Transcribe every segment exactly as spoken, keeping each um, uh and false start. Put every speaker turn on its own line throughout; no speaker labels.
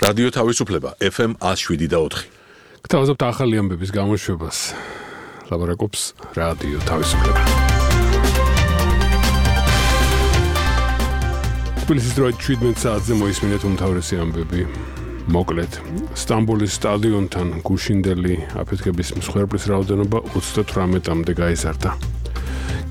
რადიო თავისუფლება ეფ ემ one oh seven point four.
გთავაზობთ ახალი ამბების გამოშვებას. ლაბორაკობს რადიო თავისუფლება. თბილისის დროით შვიდმეტ საათზე მოისმინეთ უმთავრესი ამბები. მოკლედ, სტამბოლის სტადიონთან გუშინდელი აფეთქების მსხვერპლის რაოდენობა ოცდათვრამეტამდე გაიზარდა.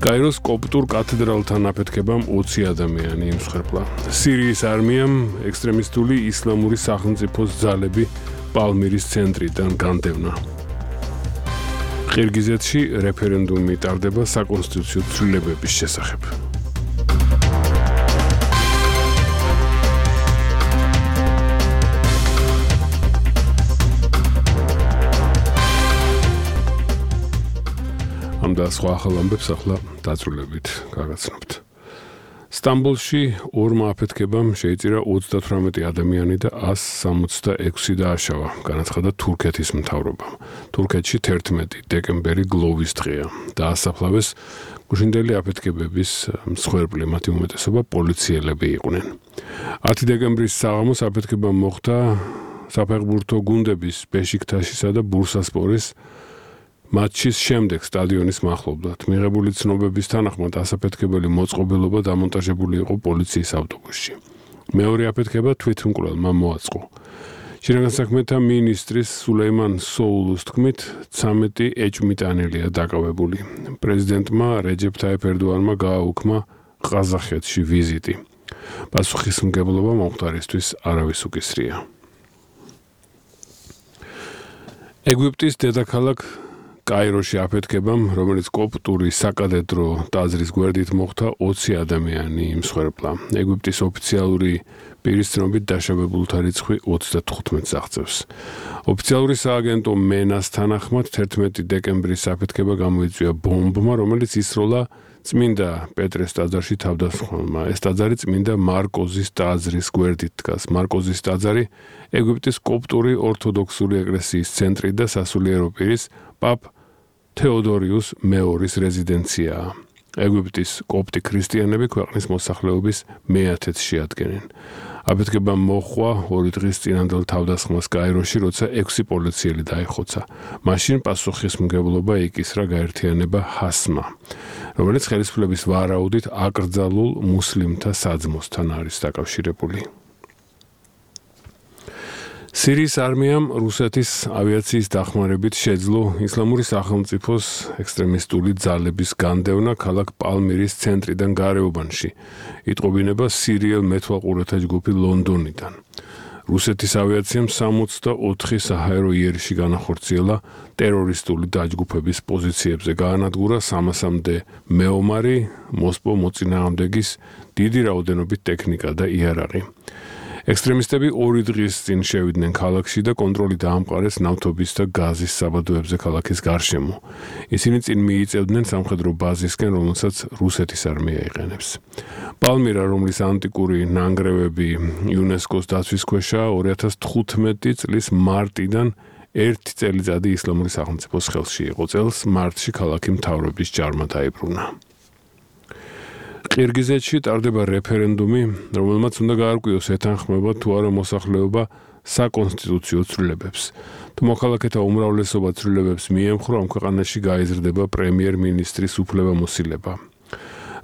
კაიროს კოპტურ კათედრალთან აფეთქებამ ოცი ადამიანი იმსხვერპლა. სირიის არმიამ ექსტრემისტული ისლამური სახელმწიფოს ძალები პალმირის ცენტრიდან განდევნა. ყირგიზეთში რეფერენდუმი ტარდება საკონსტიტუციო ცვლილებების შესახებ. ამ და სხვა ახალ ამბებს ახლა დაწვრილებით გაგაცნობთ. სტამბოლში ორმა აფეთქებამ შეიწირა ოცდათვრამეტი ადამიანი და one sixty-six დააშავა, განაცხადა თურქეთის მთავრობამ. თურქეთში თერთმეტი დეკემბერი გლოვის დღეა. დაასაფლავეს გუშინდელი აფეთქებების მსხვერპლი, მათი უმეტესობა პოლიციელები იყვნენ. ათი დეკემბრის საღამოს აფეთქება მოხდა საფეხბურთო გუნდების ბეშიქტაშისა და ბურსასპორის მატჩის შემდეგ სტადიონის მახლობლად. მიღებული ცნობების თანახმად ასაფეთქებელი მოწყობილობა დამონტაჟებული იყო პოლიციის ავტობუსში. მეორე აფეთქება თვითმკვლელმა მოაწყო. შინაგან საქმეთა მინისტრის სულეიმან სოულუს თქმით, ცამეტი ეჭვმიტანელია დაკავებული. პრეზიდენტმა რეჯეფ თაიფ ერდოანმა გააუქმა ყაზახეთში ვიზიტი. პასუხისმგებლობა მომხდარისთვის არავის უკისრია. ეგვიპტის დედაქალაქ კაიროში აფეთქებამ, რომელიც კოპტური საკადეტრო ტაძრის გვერდით მოხდა, ოცი ადამიანი იმსხვერპლა. ეგვიპტის ოფიციალური პირის ცნობით დაშავებულთა რიცხვი ოცდათხუთმეტს აღწევს. ოფიციალური სააგენტო მენას თანახმად თერთმეტი დეკემბრის აფეთქება გამოიწვია ბომბმა, რომელიც ისროლა წმინდა პეტრეს ტაძარში თავდასხმელმა. ეს ტაძარი წმინდა მარკოზის ტაძრის გვერდით დგას. მარკოზის ტაძარი ეგვიპტის კოპტური ორთოდოქსური ეკლესიის ცენტრი და სასულიერო პირის პაპ თეოდორიუს მეორის რეზიდენციაა. ეგვიპტის კოპტი ქრისტიანები ქვეყნის მოსახლეობის მეათედს შეადგენენ. აფეთქებამ მოჰყვა ორი დღის წინანდელ თავდასხმას კაიროში, როცა ექვსი პოლიციელი დაიხოცა. მაშინ პასუხისმგებლობა იკისრა გაერთიანება ჰასმა, რომელიც ხელისუფლების ვარაუდით აკრძალულ მუსლიმთა საძმოსთან არის დაკავშირებული. სირიის არმიამ რუსეთის ავიაციის დახმარებით შეძლო ისლამური სახელმწიფოს ექსტრემისტული ძალების განდევნა ქალაქ პალმირის ცენტრიდან გარეუბანში. იტყობინება სირიელ მეთვალყურეთა ჯგუფი ლონდონიდან. რუსეთის ავიაციამ სამოცდაოთხი საჰაერო იერიში განახორციელა ტერორისტული დაჯგუფების პოზიციებზე, გაანადგურა სამასამდე მეომარი, მოსპო მოწინააღმდეგის დიდი რაოდენობით ტექნიკა და იარაღი. ექსტრემისტები ორი დღის წინ შევიდნენ ქალაქში და კონტროლი დაამყარეს ნავთობის და გაზის საბადოებზე ქალაქის გარშემო. ისინი წინ მიიწევდნენ სამხედრო ბაზისკენ, რომელსაც რუსეთის არმია იყენებს. პალმირა, რომლის ანტიკური ნანგრევები იუნესკოს დაცვის ქვეშაა, ორი ათას თხუთმეტი წლის მარტიდან ერთი წელიწადი ისლამური სახელმწიფოს ხელში იყო. წელს მარტში ქალაქი მთავრობის ჯარმა დაიბრუნა. ყირგიზეთში ტარდება რეფერენდუმი, რომელმაც უნდა გაარკვიოს ეთანხმება თუ არა მოსახლეობა საკონსტიტუციო ცვლილებებს. თუ მოქალაქეთა უმრავლესობა ცვლილებებს მიემხრო, ამ ქვეყანაში გაიზრდება პრემიერ-მინისტრის უფლებამოსილება.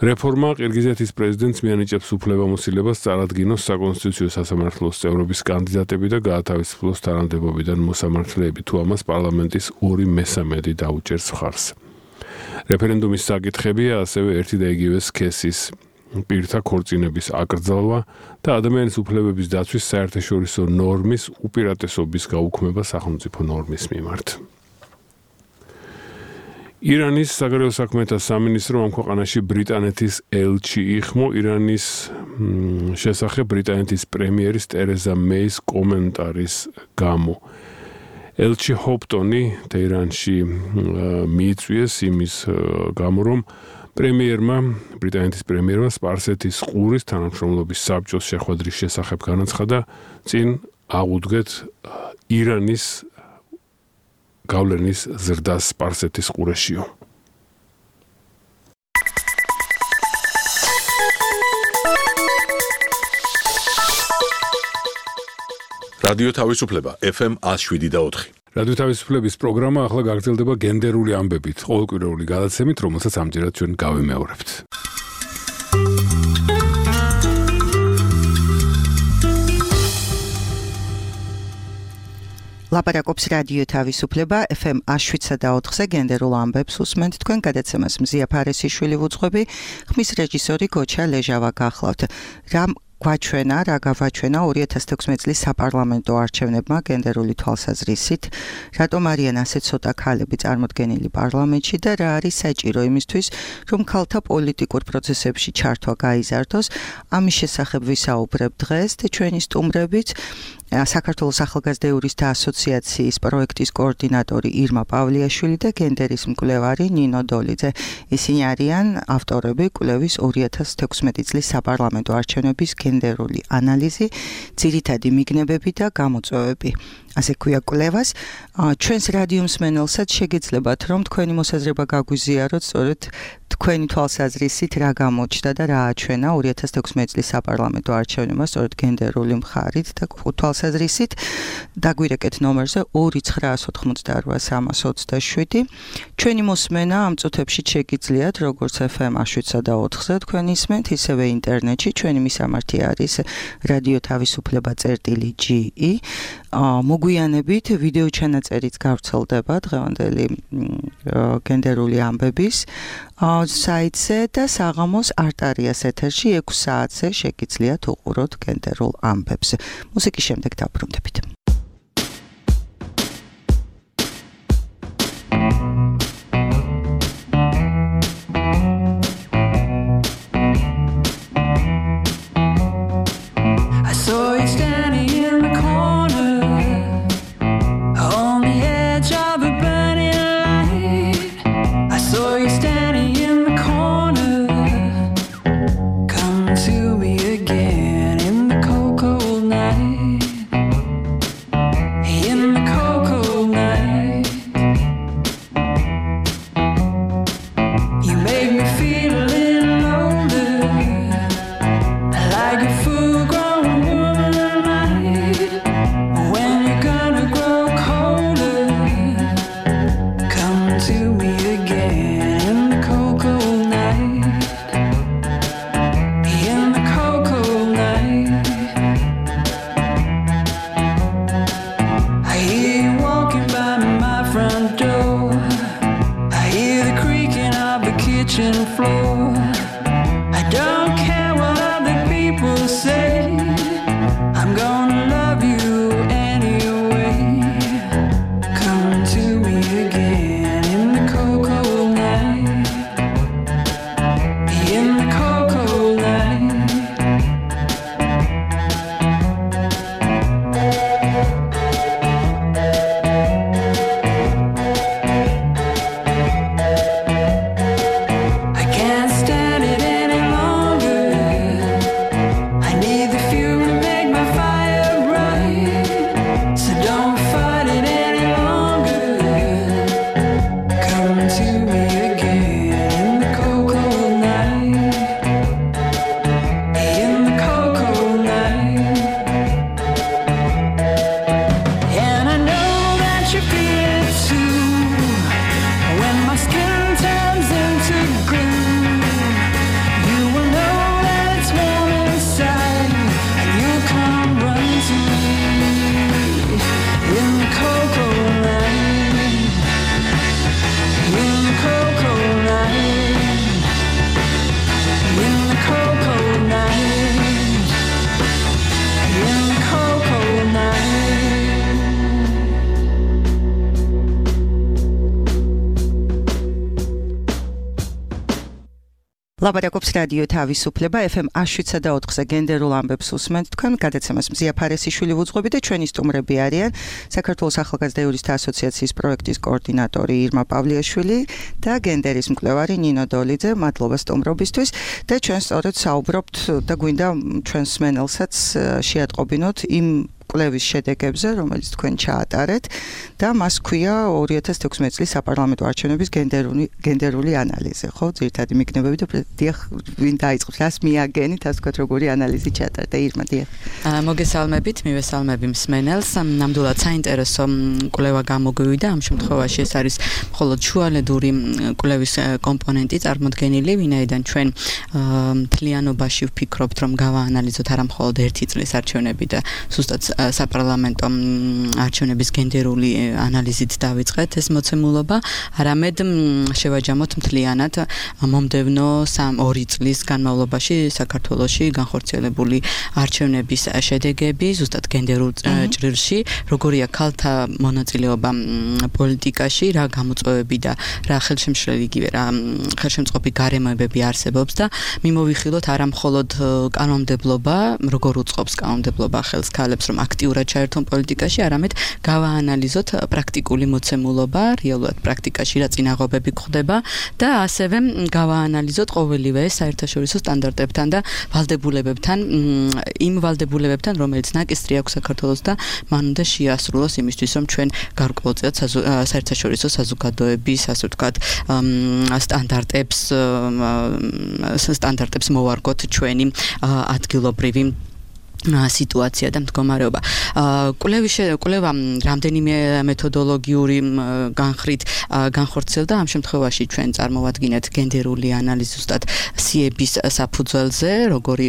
რეფორმა ყირგიზეთის პრეზიდენტს მიანიჭებს უფლებამოსილებას წარადგინოს საკონსტიტუციო სასამართლოს წევრობის კანდიდატები და გაათავისუფლოს თანამდებობიდან მოსამართლეები, თუ ამას პარლამენტის ორი მესამედი დაუჭერს მხარს. რეფერენდუმის საკითხებია ასევე ერთი და იგივე სქესის პირთა ქორწინების აკრძალვა და ადამიანის უფლებების დაცვის საერთაშორისო ნორმის უპირატესობის გაუქმება სახელმწიფო ნორმის მიმართ. ირანის საგარეო საქმეთა სამინისტრო ამ ქვეყანაში ბრიტანეთის ელჩი იხმო ირანის შესახებ ბრიტანეთის პრემიერის ტერეზა მეის კომენტარის გამო. ელჩი ჰოპტონი თეირანში მიიწვიეს იმის გამო, რომ პრემიერმა, ბრიტანეთის პრემიერმა სპარსეთის ყურის თანამშრომლობის საბჭოს შეხვედრის შესახებ განაცხადა, წინ აღუდგეთ ირანის გავლენის ზრდას სპარსეთის ყურეშიო.
რადიო თავისუფლება ეფ ემ one oh seven და four.
რადიო თავისუფლების პროგრამა ახლა გაგრძელდება გენდერული ამბებით, ყოველკვირეული გადაცემით, რომელსაც ამჯერად ჩვენ გავიმეორებთ.
ლაპარაკობს რადიო თავისუფლება ეფ ემ one oh seven და four-ზე გენდერულ ამბებს უსმენთ თქვენ გადაცემას მზია ფარესიშვილი ვუძღვები, ხმის რეჟისორი გოჩა ლეჟავა გახლავთ. რა გვაჩვენა, რა გავაჩვენა two thousand sixteen წლის საპარლამენტო არჩევნებმა გენდერული თვალსაზრისით, რატომ არიან ასე ცოტა ქალები წარმოდგენილი პარლამენტში და რა არის საჭირო იმისთვის, რომ ქალთა პოლიტიკურ პროცესებში ჩართვა გაიზარდოს. ამის შესახებ ვისაუბრებ დღეს და ჩვენი სტუმრებით საქართველოს ახალგაზრდა იურისტთა ასოციაციის პროექტის კოორდინატორი ირმა პავლიაშვილი და გენდერის მკვლევარი ნინო დოლიძე. ისინი არიან ავტორები კვლევის two thousand sixteen წლის საპარლამენტო არჩევნების გენდერული ანალიზი, ძირითადი მიგნებები და გამოწვევები. ასე ქვია კვლევას. ჩვენს რადიო მსმენელსაც შეგეძლებათ, რომ თქვენი მოსაზრება გაგვიზიაროთ, სწორედ თქვენი თვალსაზრისით რა გამოჩნდა და რა აჩვენა two thousand sixteen წლის საპარლამენტო არჩევნებმა სწორედ გენდერული მხარით და თვალსაზრისით. დაგვირეკეთ ნომერზე two nine nine eight three three seven. ჩვენი მოსმენა ამ წუთებში შეგიძლიათ, როგორც ეფ ემ one oh seven და four-ზე თქვენ ისმენთ, ისევე ინტერნეტში. ჩვენი მისამართი არის რადიო თავისუფლება წერტილი ჯი ი. მოგვიანებით ვიდეო ჩანაწერიც გავრცელდება დღევანდელი გენდერული ამბების საიტზე და საღამოს არტარიას ეთერში six საათზე შეგიძლიათ უყუროთ გენდერულ ამბებს. მუსიკის შემდეგ დაბრუნდებით. ლაპარაკობს რადიო თავისუფლება ეფ ემ one oh seven და four-ზე გენდერულ ამბებს უსმენთ თქვენ გადაცემას მზია ფარესიშვილი ვუძღვები და ჩვენი სტუმრები არიან საქართველოს ახალგაზრდა იურისტთა ასოციაციის პროექტის კოორდინატორი ირმა პავლიაშვილი და გენდერის მკვლევარი ნინო დოლიძე. მადლობა სტუმრობისთვის და ჩვენ სწორედ საუბრობთ და გვინდა ჩვენს მსმენელსაც შეატყობინოთ იმ კვლევის შედეგებზე, რომელიც თქვენ ჩაატარეთ და მას ქვია ორი ათას თექვსმეტი წლის საპარლამენტო არჩევნების გენდერული გენდერული ანალიზი, ხო? ძირითადი მიგნებები და დიახ, ვინ დაიწყებს, რას მიაგენით, ასე ვთქვათ, როგორი ანალიზი ჩაატარდა ირმა, დიახ.
მოგესალმებით, მივესალმები მსმენელს. ნამდვილად საინტერესო კვლევა გამოგვივიდა. ამ შემთხვევაში ეს არის მხოლოდ შუალედური კვლევის კომპონენტი წარმოდგენილი, ვინაიდან ჩვენ მთლიანობაში ვფიქრობთ, რომ გავაანალიზოთ არა მხოლოდ ერთი წლის არჩევნები და სუსტად საპარლამენტო არჩევნების გენდერული ანალიზით დავიწყეთ ეს მოცემულობა, არამედ შევაჯამოთ მთლიანად მომდევნო ორი წლის განმავლობაში საქართველოში განხორციელებული არჩევნების შედეგები, ზუსტად გენდერულ ჭრილში, როგორია ქალთა მონაწილეობა პოლიტიკაში, რა გამოწვევები და რა ხელშემშლელი იგივე რა ხელშემწყობი გარემოებები არსებობს და მიმოვიხილოთ არა მხოლოდ კანონმდებლობა, როგორ უწყობს კანონმდებლობა ხელს ქალებს, რომ აქტიურად ჩაერთონ პოლიტიკაში, არამედ გავაანალიზოთ პრაქტიკული მოცემულობა, რეალურად პრაქტიკაში რა წინაღობები გვხდება და ასევე გავაანალიზოთ ყოველივე საერთაშორისო სტანდარტებთან და ვალდებულებებთან, იმ ვალდებულებებთან, რომელიც ნაკისრი აქვს საქართველოს და მან უნდა შეასრულოს იმისთვის, რომ ჩვენ გარკვეულწილად საერთაშორისო საზოგადოების, ასე ვთქვათ, სტანდარტებს სტანდარტებს მოვარგოთ ჩვენი ადგილობრივი სიტუაცია და მდგომარეობა. კვლევის კვლევა რამდენიმე მეთოდოლოგიური განხრით განხორციელდა, ამ შემთხვევაში ჩვენ წარმოვადგინეთ გენდერული ანალიზი ზუსტად სიების საფუძველზე, როგორი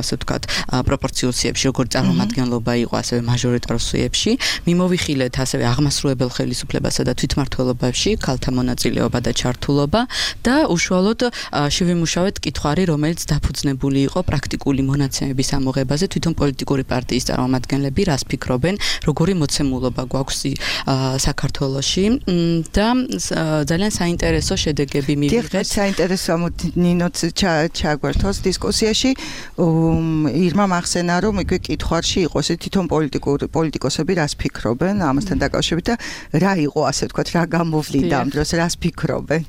ასე ვთქვათ, პროპორციულ სიებში, როგორი წარმომადგენლობა იყო ასევე მაჟორიტარულ სიებში. მიმოვიხილეთ ასევე აღმასრულებელ ხელისუფლებასა და თვითმმართველობებში ქალთა მონაწილეობა და ჩართულობა და უშუალოდ შევიმუშავეთ კითხვარი, რომელიც დაფუძნებული იყო პრაქტიკული მონაცემების ამოღებაზე, თვითონ პოლიტიკური პარტიის წარმომადგენლები რას ფიქრობენ, როგორი მოცემულობა გვაქვს საქართველოში და ძალიან საინტერესო შედეგები მივიღეთ.
დიახ, საინტერესო ნინოც ჩაგვერთოს დისკუსიაში. ირმა მახსენა, რომ იქვე კითხვარში იყო ესე თვითონ პოლიტიკურ პოლიტიკოსები რას ფიქრობენ ამასთან დაკავშირებით და რა იყო, ასე ვთქვათ, რა გამოვლინდა ამ დროს, რას ფიქრობენ.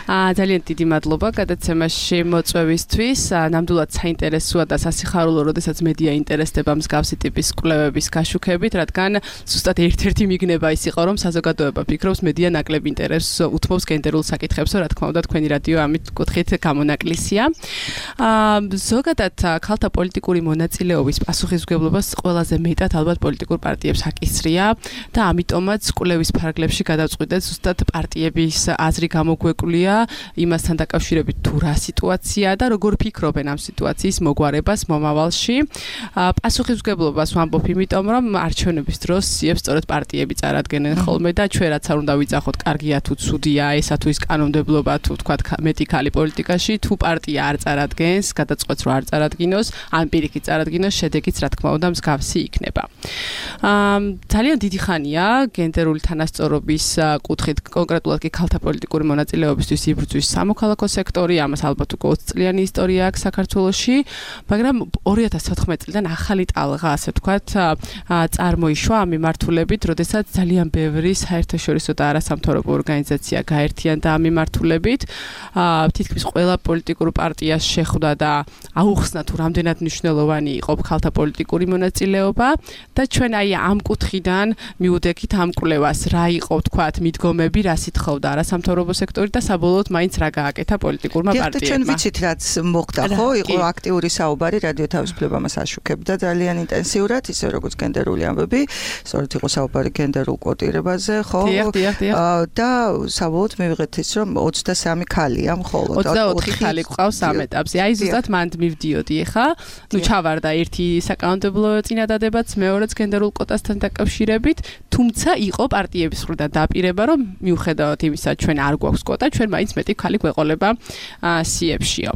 აა ძალიან დიდი მადლობა გადაცემაში მოწვევისთვის. ნამდვილად საინტერესოა და სასიხარულო, როდესაც მედია ინტერესდება მსგავსი ტიპის კვლევების გაშუქებით, რადგან ზუსტად ერთ-ერთი მიგნება ის იყო, რომ საზოგადოება ფიქრობს, მედია ნაკლებ ინტერესს უთმობს გენდერულ საკითხებს, რა თქმა უნდა, თქვენი რადიო ამით კუთხით გამონაკლისია. აა ზოგადად ქალთა პოლიტიკური მონაწილეობის პასუხისმგებლობას ყველაზე მეტად ალბათ პოლიტიკურ პარტიებს აკისრია და ამიტომაც კვლევის ფარგლებში გადავწყვიტეთ ზუსტად პარტიების აზრი გამოგვეკვлия იმასთან დაკავშირებით თუ რა სიტუაცია და როგორ ფიქრობენ ამ სიტუაციის მოგვარებას მომავალში. პასუხისმგებლობას ვამბობ, იმიტომ რომ არჩევნების დროს სიებს სწორედ პარტიები წარადგენენ ხოლმე და ჩვენ რაც არ უნდა ვიძახოთ, კარგია თუ ცუდია ესა თუ ის კანონმდებლობა თუ თქვათ მეტი ქალი პოლიტიკაში, თუ პარტია არ წარადგენს, გადაწყვეტს რომ არ წარადგინოს, ან პირიქით წარადგინოს, შედეგიც რა თქმა უნდა მსგავსი იქნება. ძალიან დიდი ხანია გენდერული თანასწორობის კუთხით, კონკრეტულად კი ქალთა პოლიტიკური მონაწილეობისთვის იბრძვის სამოქალაქო სექტორი, ამას ალბათ უკვე ოცი წლიანი ისტორია აქვს საქართველოში, მაგრამ ორი ათას თოთხმეტი წლიდან ახალი ტალღა, ასე ვთქვათ, წარმოიშვა ამ მიმართულებით, როდესაც ძალიან ბევრი საერთაშორისო და არასამთავრობო ორგანიზაცია გაერთიანდა ამ მიმართულებით. თითქმის ყველა პოლიტიკურ პარტიას შეხვდა და აუხსნა თუ რამდენად მნიშვნელოვანი იყო ქალთა პოლიტიკური მონაწილეობა და ჩვენ აი ამ კუთხიდან მივუდექით ამ კვლევას, რა იყო, ვთქვათ, მიდგომები, რა სითხოვდა არასამთავრობო სექტორი და საბოლოოდ მაინც რა გააკეთა პოლიტიკურმა პარტიებმა.
ჩვენ ვიცით, რაც მოხდა, ხო? იყო აქტიური საუბარი რადიო თავისუფლება მას აშუქებდა ძალიან ინტენსიურად, ისე როგორც გენდერული ამბები, სწორედ იყო საუბარი გენდერულ კვოტირებაზე, ხო? და საბოლოოდ მივიღეთ ის, რომ ოცდასამი ქალია მხოლოდ.
ოცდაოთხი ხალი გვყავს ამ ეტაპზე. აი ზუსტად მანდ მივდიოდი ახლა. ნუ ჩავარდა ერთი საკანონმდებლო წინადადებაც, მეორეც გენდერულ კვოტასთან დაკავშირებით, თუმცა იყო პარტიების მხრიდან დაპირება, რომ მიუხედავად იმისა, ჩვენ არ გვაქვს კვოტა, ჩვენ მაინც მეტი ქალი გვეყოლება სიებშიო.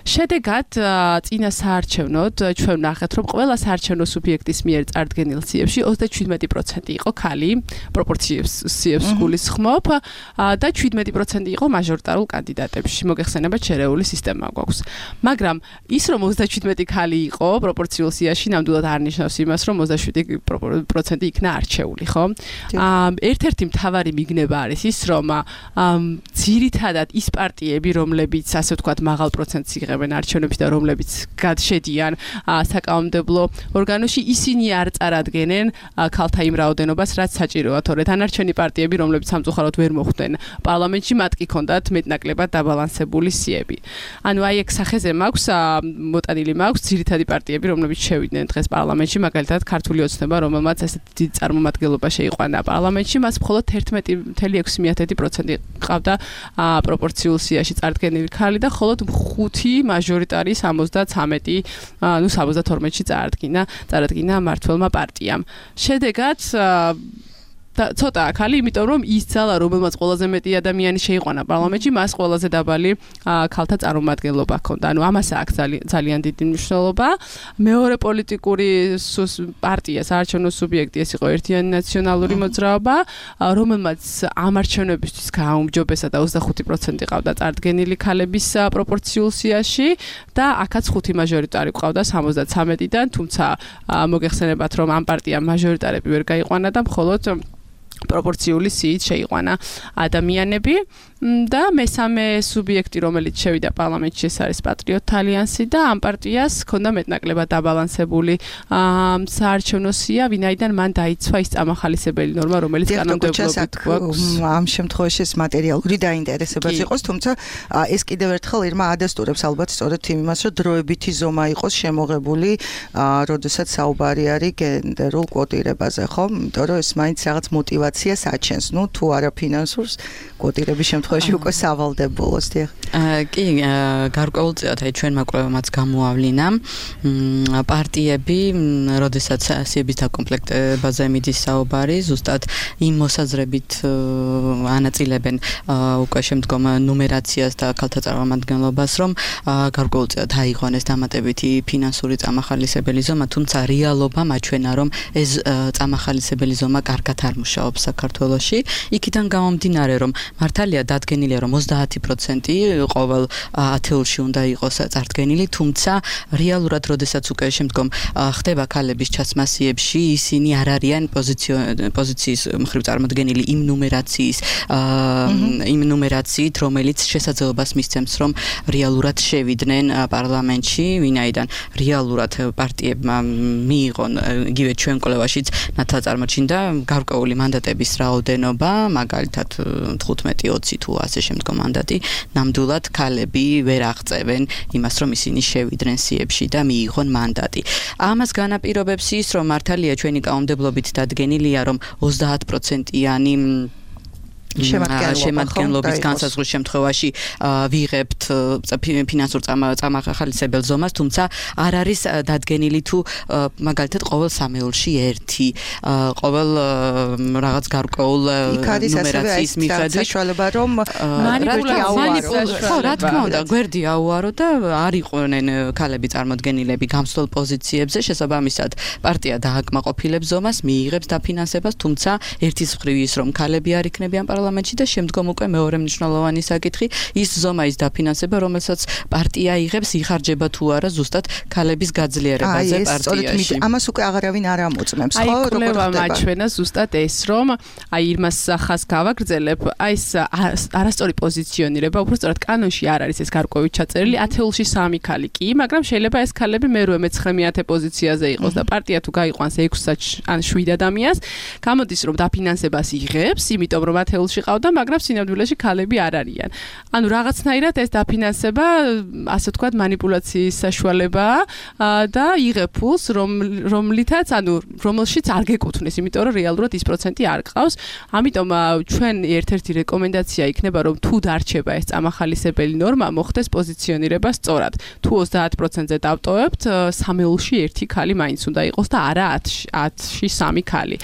შედეგად წინა საარჩევნოდ ჩვენ ნახეთ, რომ ყველა საარჩევნო სუბიექტის მიერ წარდგენილ სიებში ოცდაჩვიდმეტი პროცენტი იყო ქალი, პროპორციებს სიებს გულისხმობ და შვიდმეტი პროცენტი იყო მაჟორიტარულ კანდიდატებში. მოგეხსენებათ, შერეული სისტემა გვაქვს. მაგრამ ის რომ ოცდაჩვიდმეტი ქალი იყო პროპორციულ სიაში, ნამდვილად არ ნიშნავს იმას, რომ ოცდაშვიდი პროცენტი იქნა არჩეული, ხო? ერთ-ერთი მთავარი მიგნება არის ის, რომ ძირითადად ის პარტიები, რომლებიც ასე ვთქვათ, მაღალ პროცენტს იღებენ არჩევნებში და რომლებიც გადშედიან საკანონმდებლო საკანონმდებლო ორგანოში ისინი არ წარადგენენ ქალთა იმ რაოდენობას, რაც საჭიროა, თორე დანარჩენი პარტიები, რომლებიც სამწუხაროდ ვერ მოხვდნენ პარლამენტში, მათ კი ქონდათ მეტნაკლებად დაბალანსებული სიები. ანუ აი ეგ სახეზე მაქვს მოტანილი მაქვს ძირითადი პარტიები, რომლებიც შევიდნენ დღეს პარლამენტში, მაგალითად ქართული ოცნება, რომელმაც ესეთი დიდი წარმომადგენლობა შეიყვანა პარლამენტში, მას მხოლოდ თერთმეტი ფاصლე ექვსი პროცენტი ყავდა პროპორციულ სიაში წარდგენილი ქალი და მხოლოდ ხუთი მაჟორიტარი სამოცდათვრამეტი, ანუ სამოცდათორმეტში წარადგინა, წარადგინა მართლმა პარტიამ. შედეგად და ცოტა ახალი, იმიტომ რომ ის ძალა, რომელმაც ყველაზე მეტი ადამიანი შეიყვანა პარლამენტში, მას ყველაზე დაბალი ქალთა წარმომადგენლობა ჰქონდა. ანუ ამას აქვს ძალიან დიდი მნიშვნელობა. მეორე პოლიტიკური პარტია, საარჩევნო სუბიექტი ეს იყო ერთიანი ნაციონალური მოძრაობა, რომელმაც ამ არჩევნებისთვის გააუმჯობესა და ოცდახუთი პროცენტი ყავდა წარდგენილი ქალების პროპორციულ სიაში და აქაც ხუთი მაჟორიტარი ყავდა სამოცდათვრამეტიდან, თუმცა მოგეხსენებათ, რომ ამ პარტიამ მაჟორიტარები ვერ გაიყვანა და მხოლოდ პროპორციული სიით შეიყვანა ადამიანები და მესამე სუბიექტი, რომელიც შევიდა პარლამენტში, ეს არის პატრიოტთა ალიანსი და ამ პარტიას ჰქონდა მეტნაკლებად დაბალანსებული საარჩევნო სია, ვინაიდან მან დაიცვა ის წამახალისებელი ნორმა, რომელიც კანონმდებლობით გვაქვს.
ამ შემთხვევაში ეს მატერიალური დაინტერესებაც იყოს, თუმცა ეს კიდევ ერთხელ ირმა ადასტურებს ალბათ სწორედ იმას, რომ დროებითი ზომა იყოს შემოღებული, როდესაც საუბარი არის გენდერულ კვოტირებაზე, ხო? იმიტომ რომ ეს მაინც რაღაც მოტივაციას აჩენს, ნუ თუ არა ფინანსურს, კვოტირების შემთხვევაში უკვე სავალდებულოს, დიახ.
კი, გარკვეულწილად აი ჩვენმა კვლევამაც გამოავლინა პარტიები, როდესაც სიების დაკომპლექტებაზე მიდის საუბარი, ზუსტად იმ მოსაზრებით ანაწილებენ უკვე შემდგომ ნუმერაციას და ქალთა წარმომადგენლობას, რომ გარკვეულწილად აიღვანეს დამატებითი ფინანსური წამახალისებელი ზომა, თუმცა რეალობა მაჩვენა, რომ ეს წამახალისებელი ზომა კარგად არ მუშაობს საქართველოში. იქიდან გამომდინარე, რომ მართალია დადგენილია, რომ ოცდაათი პროცენტი ყოველ ათეულში უნდა იყოს წარდგენილი, თუმცა რეალურად, როდესაც უკვე შემდგომ ხდება ქალების ჩაცმა სიებში, ისინი არ არიან პოზიციის მხრივ წარმოდგენილი იმ ნუმერაციის, იმ ნუმერაციით, რომელიც შესაძლებლობას მისცემს, რომ რეალურად შევიდნენ პარლამენტში, ვინაიდან რეალურად პარტიებმა მიიღონ იგივე ჩვენ კვლევაშიც ნათა წარმოჩინდა გარკვეული მანდატების რაოდენობა, მაგალითად თხუთმეტი ოცი თუ ასე შემდგომ მანდატი, ნამდვილად ქალები ვერ აღწევენ იმას, რომ ისინი შევიდნენ სიებში და მიიღონ მანდატი. ამას განაპირობებს ის, რომ მართალია ჩვენი კანონმდებლობით დადგენილია, რომ ოცდაათ პროცენტიანი შემადგენლობის განსაზღვრის შემთხვევაში ვიღებთ ფინანსურ წამახალისებელ ზომას, თუმცა არ არის დადგენილი თუ მაგალითად ყოველ სამეულში ერთი, ყოველ რაღაც გარკვეულ ნუმერაციის მიხედვით
საშუალება რომ
ხო, რა თქმა უნდა, გვერდი აუარო და არ იყვნენ ქალები წარმოდგენილები გამსვლელ პოზიციებზე, შესაბამისად პარტია დააკმაყოფილებს ზომას, მიიღებს დაფინანსებას, თუმცა ერთის მხრივ ის რომ ქალები არ იქნებიან პარლამენტში და შემდგომ უკვე მეორე მნიშვნელოვანი საკითხი ის ზომა, ის დაფინანსება, რომელსაც პარტია იღებს, იხარჯება თუ არა ზუსტად ქალების გაძლიერებაზე პარტიაში.
ამას უკვე აღარავინ არ ამოწმებს, ხო?
აი, კვლევა მაჩვენა ზუსტად ეს, რომ აი იმას ხას გავაგრძელებ, აი ეს არასწორი პოზიციონირება, უფრო სწორად კანონში არ არის ეს გარკვევით ჩაწერილი, ათეულში სამი ქალი კი, მაგრამ შეიძლება ეს ქალები მერვე მეცხრე მეათე პოზიციაზე იყოს და პარტია თუ გაიყვანს ექვსი ან შვიდ ადამიანს, გამოდის რომ დაფინანსებას იღებს, იმიტომ რომ ათეულში ყავდა, მაგრამ სინამდვილეში ქალები არ არიან. ანუ რაღაცნაირად ეს დაფინანსება, ასე ვთქვათ, манипуляციის საშუალებაა და იღებ ფულს, რომლითაც, ანუ რომელშიც არ გეკუთვნის, იმიტომ რომ რეალურად ის პროცენტი არ ყავს. ამიტომ ჩვენ ერთ-ერთი რეკომენდაცია იქნება, რომ თუ დარჩება ეს წამახალისებელი ნორმა, მოხდეს პოზიციონირება სწორად. თუ ოცდაათ პროცენტზე დავტოვებთ, სამეულში ერთი ქალი მაინც უნდა იყოს და არა ათში სამი ქალი.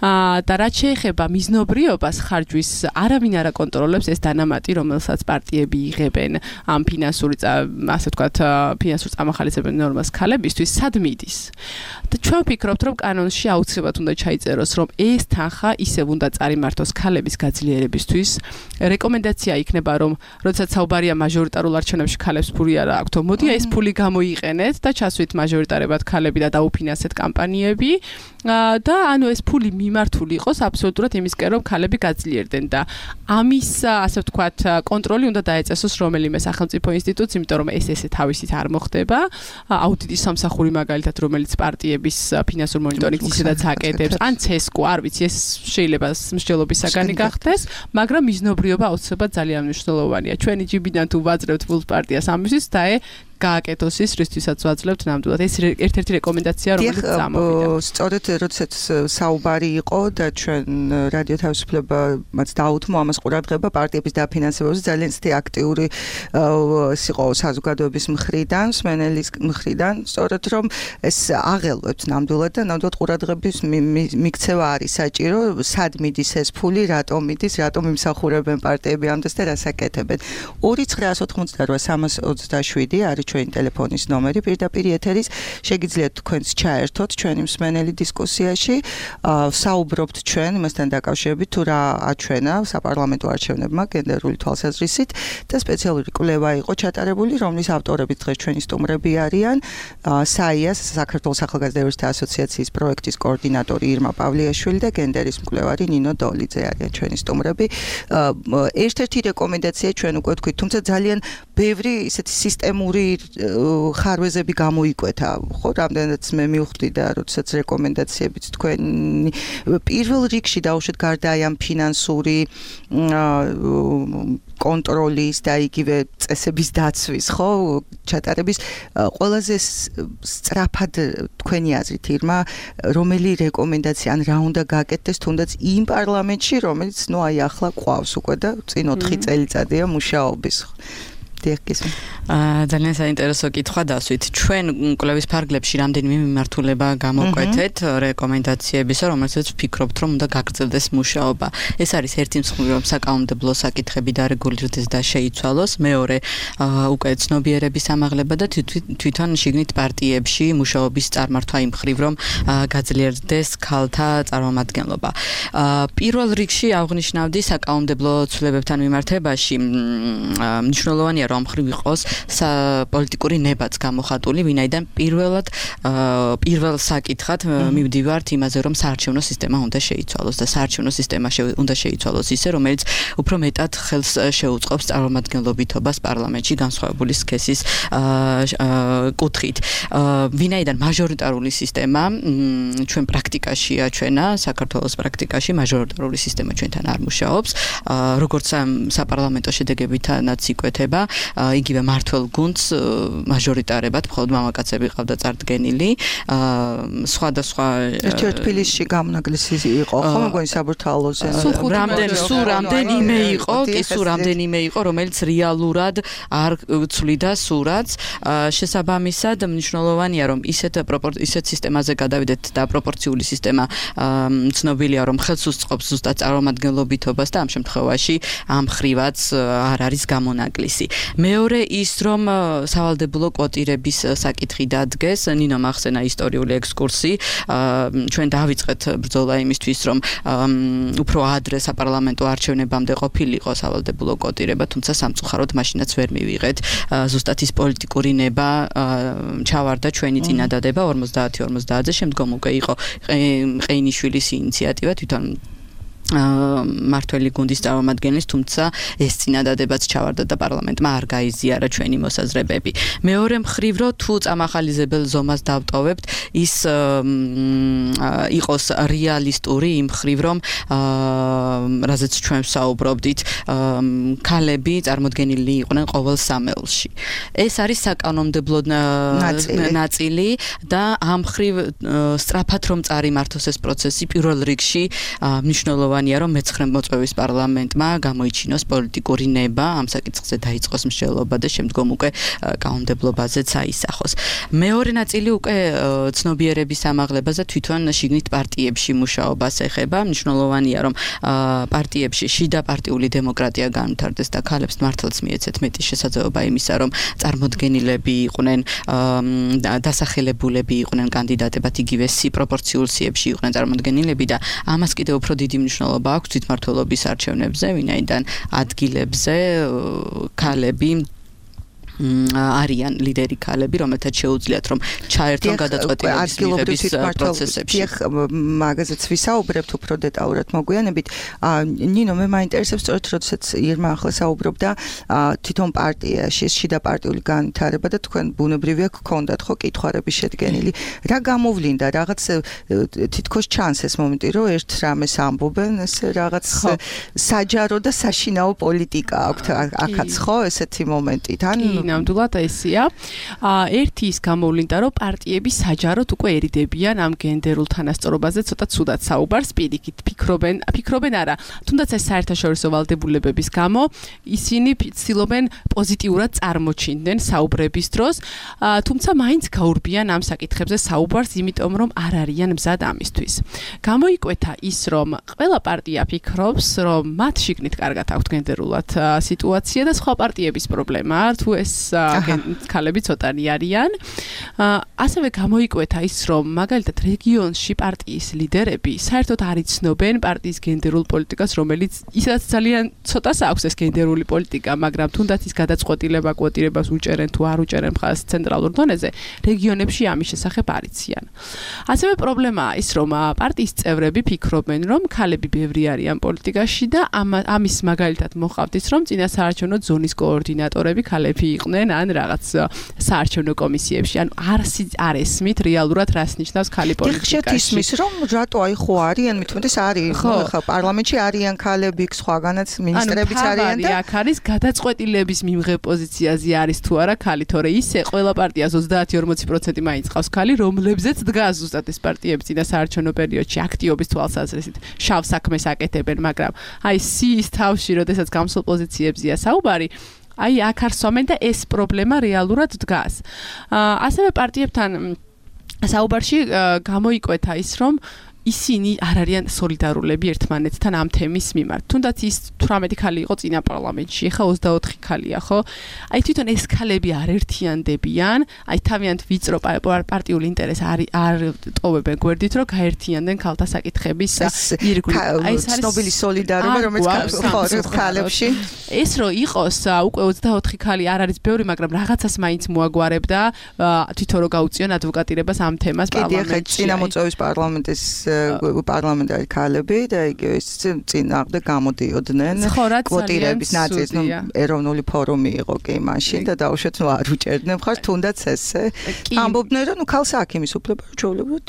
და რაც შეეხება მიზნობრიობას ხარჯვის არავინ არ აკონტროლებს ეს დანამატი, რომელსაც პარტიები იღებენ ამ ფინანსური, ასე ვთქვათ, ფინანსურ წამახალისებელ ნორმას ქალებისთვის, სად მიდის. და ჩვენ ვფიქრობთ, რომ კანონში აუცილებლად უნდა ჩაიწეროს, რომ ეს თანხა ისევ უნდა წარიმართოს ქალების გაძლიერებისთვის. რეკომენდაცია იქნება, რომ როდესაც საუბარია მაჟორიტარულ არჩევნებში ქალებს ფული არ აქვთ, მოდი ეს ფული გამოიყენეთ და ჩასვით მაჟორიტარებად ქალები და დაუფინანსეთ კამპანიები და ანუ ეს ფული მიმართული იყოს აბსოლუტურად იმისკენ, რომ ქალები გაძლიერდნენ. იღებდნენ და ამის ასე ვთქვათ კონტროლი უნდა დაეწესოს რომელიმე სახელმწიფო ინსტიტუტს, იმიტომ რომ ეს ესე თავისით არ მოხდება. აუდიტის სამსახური მაგალითად, რომელიც პარტიების ფინანსურ მონიტორინგს ისედაც აკეთებს, ან ცესკო, არ ვიცი, ეს შეიძლება მსჯელობის საგანი გახდეს, მაგრამ მიზნობრიობა აუცილებლად ძალიან მნიშვნელოვანია. ჩვენი ჯიბიდან თუ ვაძლევთ ფულს პარტიას ამისთვის და გააკეთოს ის, რისთვისაც ვაძლევთ ნამდვილად. ეს ერთ-ერთი რეკომენდაცია, რომელიც წამოვიდა.
სწორედ როდესაც საუბარი იყო და ჩვენ რადიო თავისუფლებაც დაუთმო ამას ყურადღება პარტიების დაფინანსებაზე, ძალიან ცივი აქტიური იყო საზოგადოების მხრიდან, მსმენელის მხრიდან, სწორედ რომ ეს აღელვებს ნამდვილად და ნამდვილად ყურადღების მიქცევა არის საჭირო, სად მიდის ეს ფული, რატომ მიდის, რატომ იმსახურებენ პარტიები ამდენს და რას აკეთებენ. ორი ცხრაას ოთხმოცდარვა სამას ოცდაშვიდი არის ჩვენი ტელეფონის ნომერი, პირდაპირ ეთერის შეგიძლიათ თქვენც ჩაერთოთ ჩვენი მსმენელი დისკუსიაში, საუბრობთ ჩვენ იმასთან დაკავშირებით თუ რა აჩვენა საპარლამენტო არჩევნებმა გენდერული თვალსაზრისით და სპეციალური კვლევა იყო ჩატარებული, რომლის ავტორები დღეს ჩვენი სტუმრები არიან, საიას საქართველოს ახალგაზრდების ასოციაციის პროექტის კოორდინატორი ირმა პავლიაშვილი და გენდერის მკვლევარი ნინო დოლიძე არიან ჩვენი სტუმრები. ერთ-ერთი რეკომენდაცია ჩვენ უკვე ვთქვით, თუმცა ძალიან ბევრი ისეთი სისტემური ხარვეზები გამოიკვეთა, ხო, რამდენადაც მე მივხვდი და როდესაც რეკომენდაციებიც თქვენი პირველ რიგში დაუშვათ გარდა აი ამ ფინანსური კონტროლის და იგივე წესების დაცვის, ხო, ჩატარების ყველაზე სწრაფად თქვენი აზრით ირმა, რომელი რეკომენდაცია ან რა უნდა გააკეთდეს თუნდაც იმ პარლამენტში, რომელიც ნუ აი ახლა ყავს უკვე და წინ ოთხი წელიწადია მუშაობის.
ძალიან საინტერესო კითხვა დასვით. ჩვენ კვლევის ფარგლებში რამდენიმე მიმართულება გამოკვეთეთ რეკომენდაციებისა, რომელსაც ვფიქრობთ, რომ უნდა გაგრძელდეს მუშაობა. ეს არის ერთი მსხვილი, რომ საკანონმდებლო საკითხები დარეგულირდეს და შეიცვალოს, მეორე უკვე ცნობიერების ამაღლება და თვითონ შიგნით პარტიებში მუშაობის წარმართვა იმ მხრივ, რომ გაძლიერდეს ქალთა წარმომადგენლობა. პირველ რიგში აღნიშნავდი საკანონმდებლო ცვლილებებთან მიმართებაში მნიშვნელოვანია რომ მხრივ იყოს პოლიტიკური ნებაც გამოხატული, ვინაიდან პირველად პირველ საკითხად მივდივართ იმაზე, რომ საარჩევნო სისტემა უნდა შეიცვალოს და საარჩევნო სისტემა უნდა შეიცვალოს ისე, რომელიც უფრო მეტად ხელს შეუწყობს წარმომადგენლობითობას პარლამენტში განსხვავებული სქესის კუთხით. ვინაიდან მაჟორიტარული სისტემა ჩვენ პრაქტიკაში აჩვენა, საქართველოს პრაქტიკაში მაჟორიტარული სისტემა ჩვენთან არ მუშაობს, როგორც საპარლამენტო შედეგებითაც იკვეთება, იგივე მართლ გუნდს მაჟორიტარებად მხოლოდ მამაკაცები ყავდა წარდგენილი, სხვადასხვა
ერთ-ერთ თბილისში გამონაკლისი იყო, ხო, მგონი საბურთალოზე.
რამდენ სულ რამდენიმე იყო, კი სულ რამდენიმე იყო, რომელიც რეალურად არ ცვლიდა სურათს. შესაბამისად, მნიშვნელოვანია, რომ ისეთ ისეთ სისტემაზე გადავიდეთ და პროპორციული სისტემა ცნობილია, რომ ხელს უსწყობს ზუსტად წარმომადგენლობითობას და ამ შემთხვევაში ამ ხრივაც არ არის გამონაკლისი. მეორე ის, რომ სავალდებულო კვოტირების საკითხი დადგეს, ნინო მახსენა ისტორიული ექსკურსი, ჩვენ დავიწყეთ ბრძოლა იმისთვის, რომ უფრო ადრე საპარლამენტო არჩევნებამდე ყოფილიყო სავალდებულო კვოტირება, თუმცა სამწუხაროდ მაშინაც ვერ მივიღეთ. ზუსტად ის პოლიტიკური ნება ჩავარდა ჩვენი წინადადება ორმოცდაათი ორმოცდაათზე, შემდგომ უკვე იყო ყეინიშვილის ინიციატივა თვითონ მართველი გუნდის წარმომადგენლის, თუმცა ეს წინადადებაც ჩავარდა და პარლამენტმა არ გაიზიარა ჩვენი მოსაზრებები. მეორე მხრივ, რომ თუ წამახალიზებელ ზომას დავტოვებთ, ის იყოს რეალისტური იმ მხრივ, რომ რაზეც ჩვენ ვსაუბრობდით, ქალები წარმოდგენილი იყვნენ ყოველ სამეულში. ეს არის საკანონმდებლო ნაწილი და ამ მხრივ სწრაფად რომ წარიმართოს ეს პროცესი, პირველ რიგში მნიშვნელოვანია რომ მეცხრე მოწვევის პარლამენტმა გამოიჩინოს პოლიტიკური ნება, ამ საკითხზე დაიწყოს მსჯელობა და შემდგომ უკვე კანონმდებლობაზეც აისახოს. მეორე ნაწილი უკვე ცნობიერების ამაღლებაზე თვითონ შიგნით პარტიებში მუშაობას ეხება. მნიშვნელოვანია რომ პარტიებში შიდა პარტიული დემოკრატია განვითარდეს და ქალებს მართლაც მიეცეთ მეტი შესაძლებლობა იმისა, რომ წარმოდგენილები იყვნენ, დასახელებულები იყვნენ კანდიდატებად, იგივე პროპორციულ სიებში იყვნენ წარმოდგენილები და ამას კიდევ უფრო დიდი მნიშვნელობა აქვს თვითმმართველობის არჩევნებზე, ვინაიდან ადგილებზე ქალები არიან ლიდერი ქალები, რომელთაც შეუძლიათ რომ ჩაერთონ გადაწყვეტილების მიღების პროცესებში.
დიახ, მაგაზეც ვისაუბრებთ უფრო დეტალურად მოგვიანებით. ნინო, მე მაინტერესებს სწორედ როდესაც ირმა ახლა საუბრობდა თვითონ პარტიაში შიდა პარტიული განვითარება და თქვენ ბუნებრივია გქონდათ ხო კითხვარების შედგენილი. რა გამოვლინდა, რაღაც თითქოს ჩანს ეს მომენტი, რომ ერთ რამეს ამბობენ, ეს რაღაც საჯარო და საშინაო პოლიტიკა აქვთ აქაც ხო ესეთი მომენტი. თან
ნამდვილად ესია. ერთი ის გამოვლინდა, რომ პარტიები საჯაროდ უკვე ერიდებიან ამ გენდერულ თანასწორობაზე, ცოტა ცუდად საუბარს პირიქით ფიქრობენ, ფიქრობენ არა. თუნდაც ეს საერთაშორისო ვალდებულებების გამო ისინი ცდილობენ პოზიტიურად წარმოჩინდნენ საუბრების დროს, თუმცა მაინც გაურბიან ამ საკითხებზე საუბარს, იმიტომ რომ არ არიან მზად ამისთვის. გამოიკვეთა ის, რომ ყველა პარტია ფიქრობს, რომ მათ შიგნით კარგად აქვთ გენდერულად სიტუაცია და სხვა პარტიების პრობლემაა, თუ ეს ქალები ცოტანი არიან. ასევე გამოიკვეთა ის, რომ მაგალითად რეგიონში პარტიის ლიდერები საერთოდ არ იცნობენ პარტიის გენდერულ პოლიტიკას, რომელიც ისაც ძალიან ცოტას აქვს ეს გენდერული პოლიტიკა, მაგრამ თუნდაც ის გადაწყვეტილება კვოტირებას უჭერენ თუ არ უჭერენ მხარს ცენტრალურ დონეზე, რეგიონებში ამის შესახებ არ იციან. ასევე პრობლემაა ის, რომ პარტიის წევრები ფიქრობენ, რომ ქალები ბევრი არიან პოლიტიკაში და ამის მაგალითად მოყავთ ის, რომ წინა საარჩევნო ზონის კოორდინატორები ქალები იყვნენ ან რაღაც საარჩევნო კომისიებში, ანუ არ არ ესმით რეალურად რას ნიშნავს ქალი პოლიტიკაში.
ხშირად ისმის, რომ რატო აი ხო არიან, მithumetes არის, ხო პარლამენტში არიან ქალები, სხვაგანაც მინისტრებიც არიან და
აქ არის გადაწყვეტილების მიმღებ პოზიციაზე არის თუ არა ქალი, თორე ისე ყველა პარტიას ოცდაათი ორმოცი პროცენტი მაინც ყავს ქალი, რომლებზეც დგას ზუსტად ეს პარტიები წინა საარჩევნო პერიოდში აქტიობის თვალსაზრისით შავ საქმეს აკეთებენ, მაგრამ აი სიის თავში, როდესაც გამსულ პოზიციებზეა საუბარი, აი აქ არსვამენ და ეს პრობლემა რეალურად დგას. ასევე პარტიებთან საუბარში გამოიკვეთა ის, რომ ისინი არ არიან სოლიდარულები ერთმანეთთან ამ თემის მიმართ. თუნდაც ის თვრამეტი ქალი იყო წინა პარლამენტში, ხა ოცდაოთხი ქალია, ხო? აი თვითონ ეს ქალები არ ერთიანდებიან, აი თავიანთ ვიწრო პარტიული ინტერესს არ არ ტოვებენ გვერდით, რომ გაერთიანდნენ ქალთა საკითხების ირგვლივ.
აი ეს არის ცნობილი სოლიდარობა, რომელიც ქალებში.
ეს რო იყოს, უკვე ოცდაოთხი ქალი არ არის ბევრი, მაგრამ რაღაცას მაინც მოაგვარებდა თვითონ რო გაუწიონ ადვოკატირებას ამ თემას პარლამენტში.
კიდე წინა მოწვევის პარლამენტის პარლამენტარი ქალები და იგივე წინააღმდეგ გამოდიოდნენ კვოტირების ნაწილს, ნუ ეროვნული ფორუმი იყო კი მაშინ და დაუშვათ ნუ არ უჭერდნენ მხარს, თუნდაც ესე ამბობდნენ, რომ ნუ ქალს აქვს იმის უფლება, რომ ჩვეულებრივად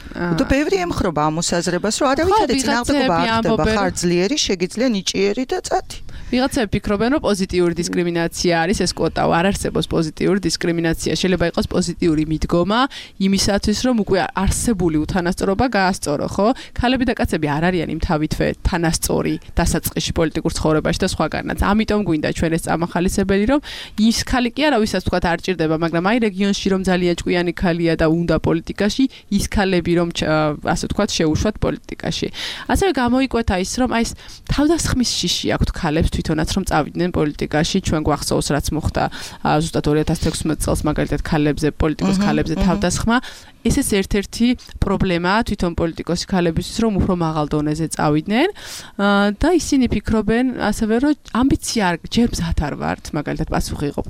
და ბევრი ემხრობა ამ მოსაზრებას, რომ არავითარი წინააღმდეგობა არ ხდება, ხარ ძლიერი, შეგიძლია ნიჭიერი და წათი.
ვიღაცები ფიქრობენ, რომ პოზიტიური დისკრიმინაცია არის ეს კვოტა, არ არსებობს პოზიტიური დისკრიმინაცია. შეიძლება იყოს პოზიტიური მიდგომა იმისათვის, რომ უკვე არსებული უთანასწორობა გაასწორო, ხო? ქალები და კაცები არ არიან იმ თავითვე თანასწორი დასაწყისში პოლიტიკურ ცხოვრებაში და სხვაგანაც. ამიტომ გვინდა ჩვენ ეს წამახალისებელი, რომ ის ქალი კი არა, ვისაც თქვათ არ ჭირდება, მაგრამ აი რეგიონში რომ ძალიან ჭკვიანი ქალია და უნდა პოლიტიკაში, ის ქალები რომ ასე თქვათ შეუშვათ პოლიტიკაში. ასევე გამოიკვეთა ის, რომ აი ეს თავდასხმის შიში აქვთ ქალებს თვითონაც რომ წავიდნენ პოლიტიკაში, ჩვენ გვახსოვს რაც მოხდა ზუსტად ორი ათას თექვსმეტ წელს მაგალითად ქალებზე, პოლიტიკოს ქალებზე თავდასხმა. ესეც ერთ-ერთი პრობლემაა თვითონ პოლიტიკოსი ქალებისთვის, რომ უფრო მაღალ დონეზე წავიდნენ და ისინი ფიქრობენ ასევე, რომ ამბიცია ჯერ მზად არ ვართ, მაგალითად პასუხი იყო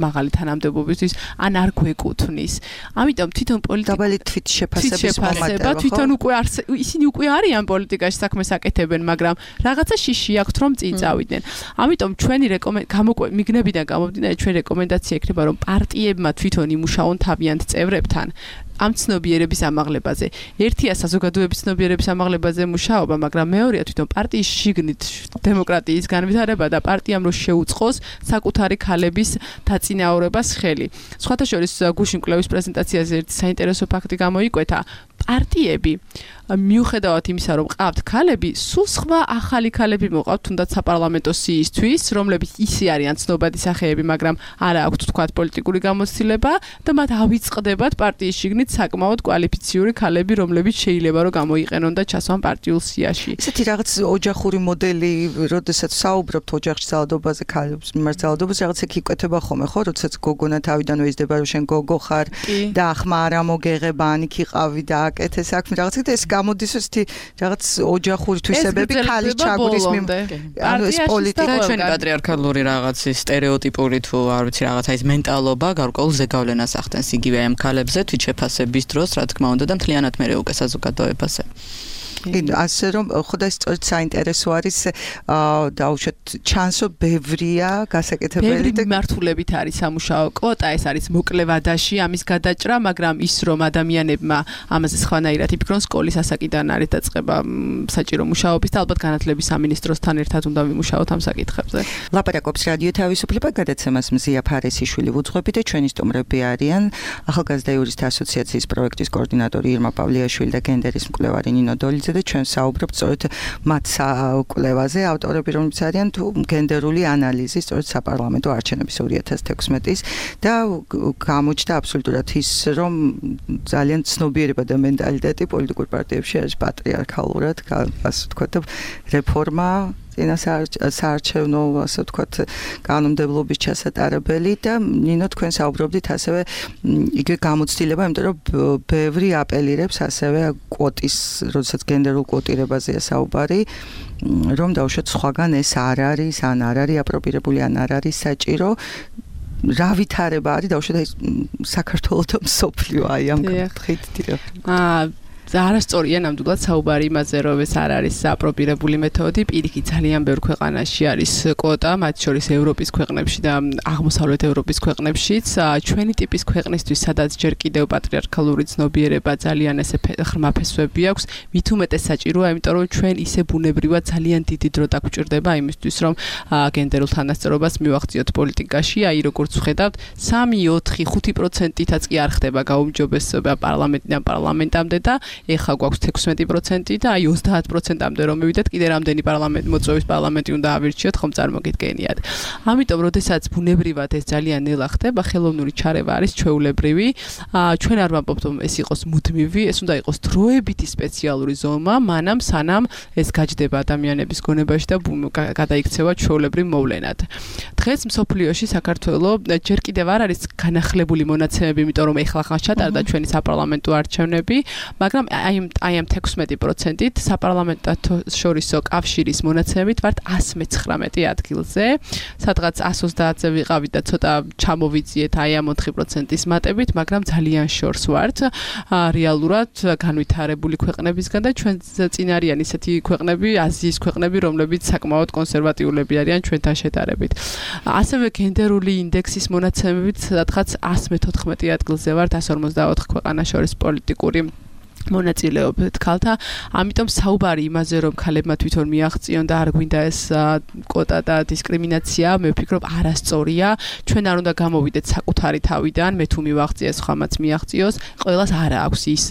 მაღალი თანამდებობისთვის, ან არ გვეკუთვნის. ამიტომ თვითონ პოლიტიკა
დაბალი თვითშეფასების მომატება,
თვითონ უკვე ისინი უკვე არიან პოლიტიკაში საქმეს აკეთებენ, მაგრამ რაღაცა შიში აქვთ რომ წინ წავიდნენ. ამიტომ ჩვენი რეკომენდაცია მიგნებიდან გამომდინარე, ჩვენი რეკომენდაცია იქნება, რომ პარტიებმა თვითონ იმუშაონ თავიანთ წევრებთან ამ ცნობიერების ამაღლებაზე. ერთია საზოგადოების ცნობიერების ამაღლებაზე მუშაობა, მაგრამ მეორეა თვითონ პარტიის შიგნით დემოკრატიის განვითარება და პარტიამ რო შეუწყოს საკუთარი ქალების დაწინაურებას ხელი. სხვათა შორის გუშინ კვლევის პრეზენტაციაზე ერთი საინტერესო ფაქტი გამოიკვეთა. პარტიები მიუხედავად იმისა, რომ ყავთ ქალები, სულ სხვა ახალი ქალები მოყავთ, თუნდაც საპარლამენტო სიისთვის, რომლებიც ისე არიან ცნობადი სახეები, მაგრამ არა აქვთ თქვათ პოლიტიკური გამოცდილება და მათ ავიწყდებათ პარტიის შიგნით საკმაოდ კვალიფიციური ქალები, რომლებიც შეიძლება რომ გამოიყენონ და ჩასვან პარტიულ სიაში.
ესეთი რაღაც ოჯახური მოდელი, როდესაც საუბრობთ ოჯახში ძალადობაზე, ქალებს მიმართ ძალადობაზე, რაღაც ეგ იკვეთება ხოლმე, ხო, როდესაც გოგონა თავიდანვე იზრდება, რომ შენ გოგო ხარ და ახმა არ ამოგეღება, ან იქ იყავი და აქ გასაკეთე საქმე რაღაცა და ეს გამოდის ისეთი რაღაც ოჯახური თვისებები ქალის ჩაგვრის ანუ ეს პოლიტიკა
ჩვენი პატრიარქალური რაღაცის სტერეოტიპური თუ არ ვიცი რაღაცა ის მენტალობა გარკვეულ ზეგავლენას ახდენს იგივე ამ ქალებზე თვით შეფასების დროს რა თქმა უნდა და მთლიანად მე უკვე საზოგადოებაზე
კი, ასე რომ ხოდა სწორედ საინტერესო არის დაუშვათ ჩანსო ბევრია გასაკეთებელი
და მიმართულებით არის სამუშაო კვოტა ეს არის მოკლევადაში ამის გადაჭრა მაგრამ ის რომ ადამიანებმა ამაზე სხვანაირად იფიქრონ სკოლის ასაკიდან არის დაწყება საჭირო მუშაობის და ალბათ განათლების სამინისტროსთან ერთად უნდა ვიმუშაოთ ამ საკითხებზე
ლაპარაკობს რადიო თავისუფლება გადაცემას მზია ფარესიშვილი ვუძღვები და ჩვენი სტუმრები არიან ახალგაზრდა იურისტთა ასოციაციის პროექტის კოორდინატორი ირმა პავლიაშვილი და გენდერის მკვლევარი ნინო დოლიძე და ჩვენ საუბრობთ სწორედ მათ კვლევაზე ავტორები რომლებიც არიან თუ გენდერული ანალიზი სწორედ საპარლამენტო არჩევნების ორი ათას თექვსმეტის და გამოჩნდა აბსოლუტურად ის რომ ძალიან ცნობიერება და მენტალიტეტი პოლიტიკურ პარტიებში არის პატრიარქალურად ასე ვთქვათ და რეფორმა წინა საარჩევნო ასე ვთქვათ კანონმდებლობის ჩასატარებელი და ნინო თქვენ საუბრობდით ასევე იგივე გამოცდილება იმიტომ რომ ბევრი აპელირებს ასევე კვოტის როდესაც გენდერულ კვოტირებაზეა საუბარი რომ დაუშვათ სხვაგან ეს არ არის ან არ არის აპრობირებული ან არ არის საჭირო რა ვითარება არის დაუშვათ ეს საქართველოს და მსოფლიო აი ამ კუთხით
აა არასწორია ნამდვილად საუბარი იმაზე რომ ეს არ არის აპრობირებული მეთოდი პირიქით ძალიან ბევრ ქვეყანაში არის კვოტა მათ შორის ევროპის ქვეყნებში და აღმოსავლეთ ევროპის ქვეყნებშიც ჩვენი ტიპის ქვეყნისთვის სადაც ჯერ კიდევ პატრიარქალური ცნობიერება ძალიან ესე ღრმა ფესვები აქვს მით უმეტეს საჭიროა იმიტომ რომ ჩვენ ისე ბუნებრივად ძალიან დიდი დრო დაგვჭირდება იმისთვის რომ გენდერულ თანასწორობას მივახციოთ პოლიტიკაში აი როგორც ვხედავთ სამი ოთხი ხუთი პროცენტითაც კი არ ხდება გაუმჯობესება პარლამენტიდან პარლამენტამდე და ეხა გვაქვს თექვსმეტი პროცენტი და აი ოცდაათ პროცენტამდე რომ მივიდეთ კიდე რამდენი პარლამენტ მოწვევის პარლამენტი უნდა ავირჩიოთ ხომ წარმოგიდგენიათ ამიტომ როდესაც ბუნებრივად ეს ძალიან ნელა ხდება ხელოვნური ჩარევა არის ჩვეულებრივი ჩვენ არ ვამბობთ რომ ეს იყოს მუდმივი ეს უნდა იყოს დროებითი სპეციალური ზომა მანამ სანამ ეს გაჯდება ადამიანების გონებაში და გადაიქცევა ჩვეულებრივ მოვლენად დღეს მსოფლიოში საქართველოს ჯერ კიდევ არ არის განახლებული მონაცემები იმიტომ რომ ეხლა ხან ჩატარდა ჩვენი საპარლამენტო არჩევნები მაგრამ აი აი ამ თექვსმეტი პროცენტით საპარლამენტო შორისო კავშირის მონაცემებით ვართ εκατს მეცხრამეტე ადგილზე სადღაც εκατს ოცდაათზე ვიყავით და ცოტა ჩამოვიძიეთ აი ამ ოთხი პროცენტის მატებით მაგრამ ძალიან შორს ვართ რეალურად განვითარებული ქვეყნებისგან და ჩვენ წინ არიან ისეთი ქვეყნები აზიის ქვეყნები რომლებიც საკმაოდ კონსერვატიულები არიან ჩვენთან შედარებით ასევე გენდერული ინდექსის მონაცემებით სადღაც εκατს მეთოთხმეტე ადგილზე ვართ εκατს ორმოცდაოთხ ქვეყანას შორის პოლიტიკური მონაწილეობით ქალთა, ამიტომ საუბარი იმაზე რომ ქალებმა თვითონ მიაღწიონ და არ გვინდა ეს კვოტა და დისკრიმინაცია, მე ვფიქრობ არასწორია. ჩვენ არ უნდა გამოვიდეთ საკუთარი თავიდან, მე თუ მივაღწიე სხვამაც მიაღწიოს, ყველას არ აქვს ის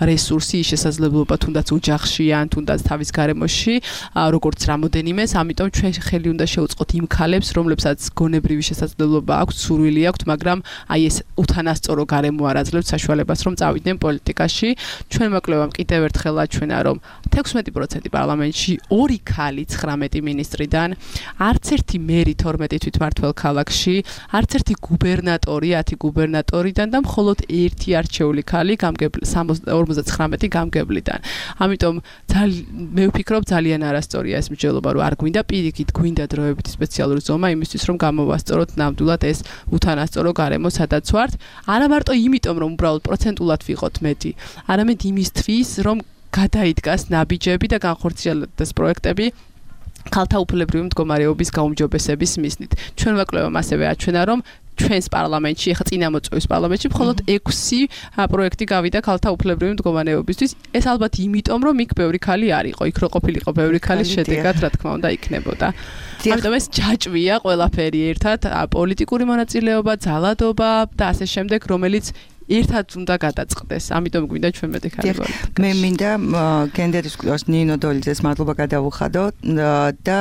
რესურსი, ის შესაძლებლობა თუნდაც ოჯახში ან თუნდაც თავის გარემოში, როგორც რამოდენიმეს, ამიტომ ჩვენ ხელი უნდა შევუწყოთ იმ ქალებს, რომლებსაც გონებრივი შესაძლებლობა აქვს, სურვილი აქვთ, მაგრამ აი ეს უთანასწორო გარემო არ აძლევთ საშუალებას რომ წავიდნენ პოლიტიკაში. ჩვენ მოკლევამ კიდევ ერთხელ აჩვენა რომ თექვსმეტი პროცენტი პარლამენტში ორი ქალი ცხრამეტი მინისტრიდან, არც ერთი მერი თორმეტი თვითმმართველ ქალაქში, არც ერთი გუბერნატორი ათი გუბერნატორიდან და მხოლოდ ერთი არჩეული ქალი ორმოცდათხრამეტი გამგებლიდან. ამიტომ მე ვფიქრობ ძალიან არასწორია ეს მსჯელობა რომ არ გვინდა პირიქით გვინდა დროებითი სპეციალური ზომა იმისთვის რომ გამოვასწოროთ ნამდვილად ეს უთანასწორო გარემო სადაც ვართ. არა მარტო იმიტომ რომ უბრალოდ პროცენტულად ვიყოთ მეტი, არამედ იმისთვის რომ გადაიდგას ნაბიჯები და განხორციელდეს პროექტები ქალთა უფლებრივი მდგომარეობის გაუმჯობესების მიზნით. ჩვენ ვაკლებამ ასევე აჩვენა რომ ჩვენს პარლამენტში, ახლა წინამოწვევის პარლამენტში მხოლოდ ექვსი პროექტი გავიდა ქალთა უფლებრივი მდგომარეობისთვის. ეს ალბათ იმიტომ, რომ იქ ბევრი ქალი არ იყო, იქ რო ყოფილიყო ბევრი ქალის შედეგად, რა თქმა უნდა, იქნებოდა. ამიტომ ეს ჯაჭვია ყველაფერი ერთად, პოლიტიკური მონაწილეობა, ძალადობა და ასე შემდეგ, რომელიც ერთად უნდა გადაწყდეს. ამიტომ გვინდა ჩვენ მეტი ქალი პოლიტიკაში.
მე მინდა გენდერის კვლევას ნინო დოლიძეს მადლობა გადავუხადო და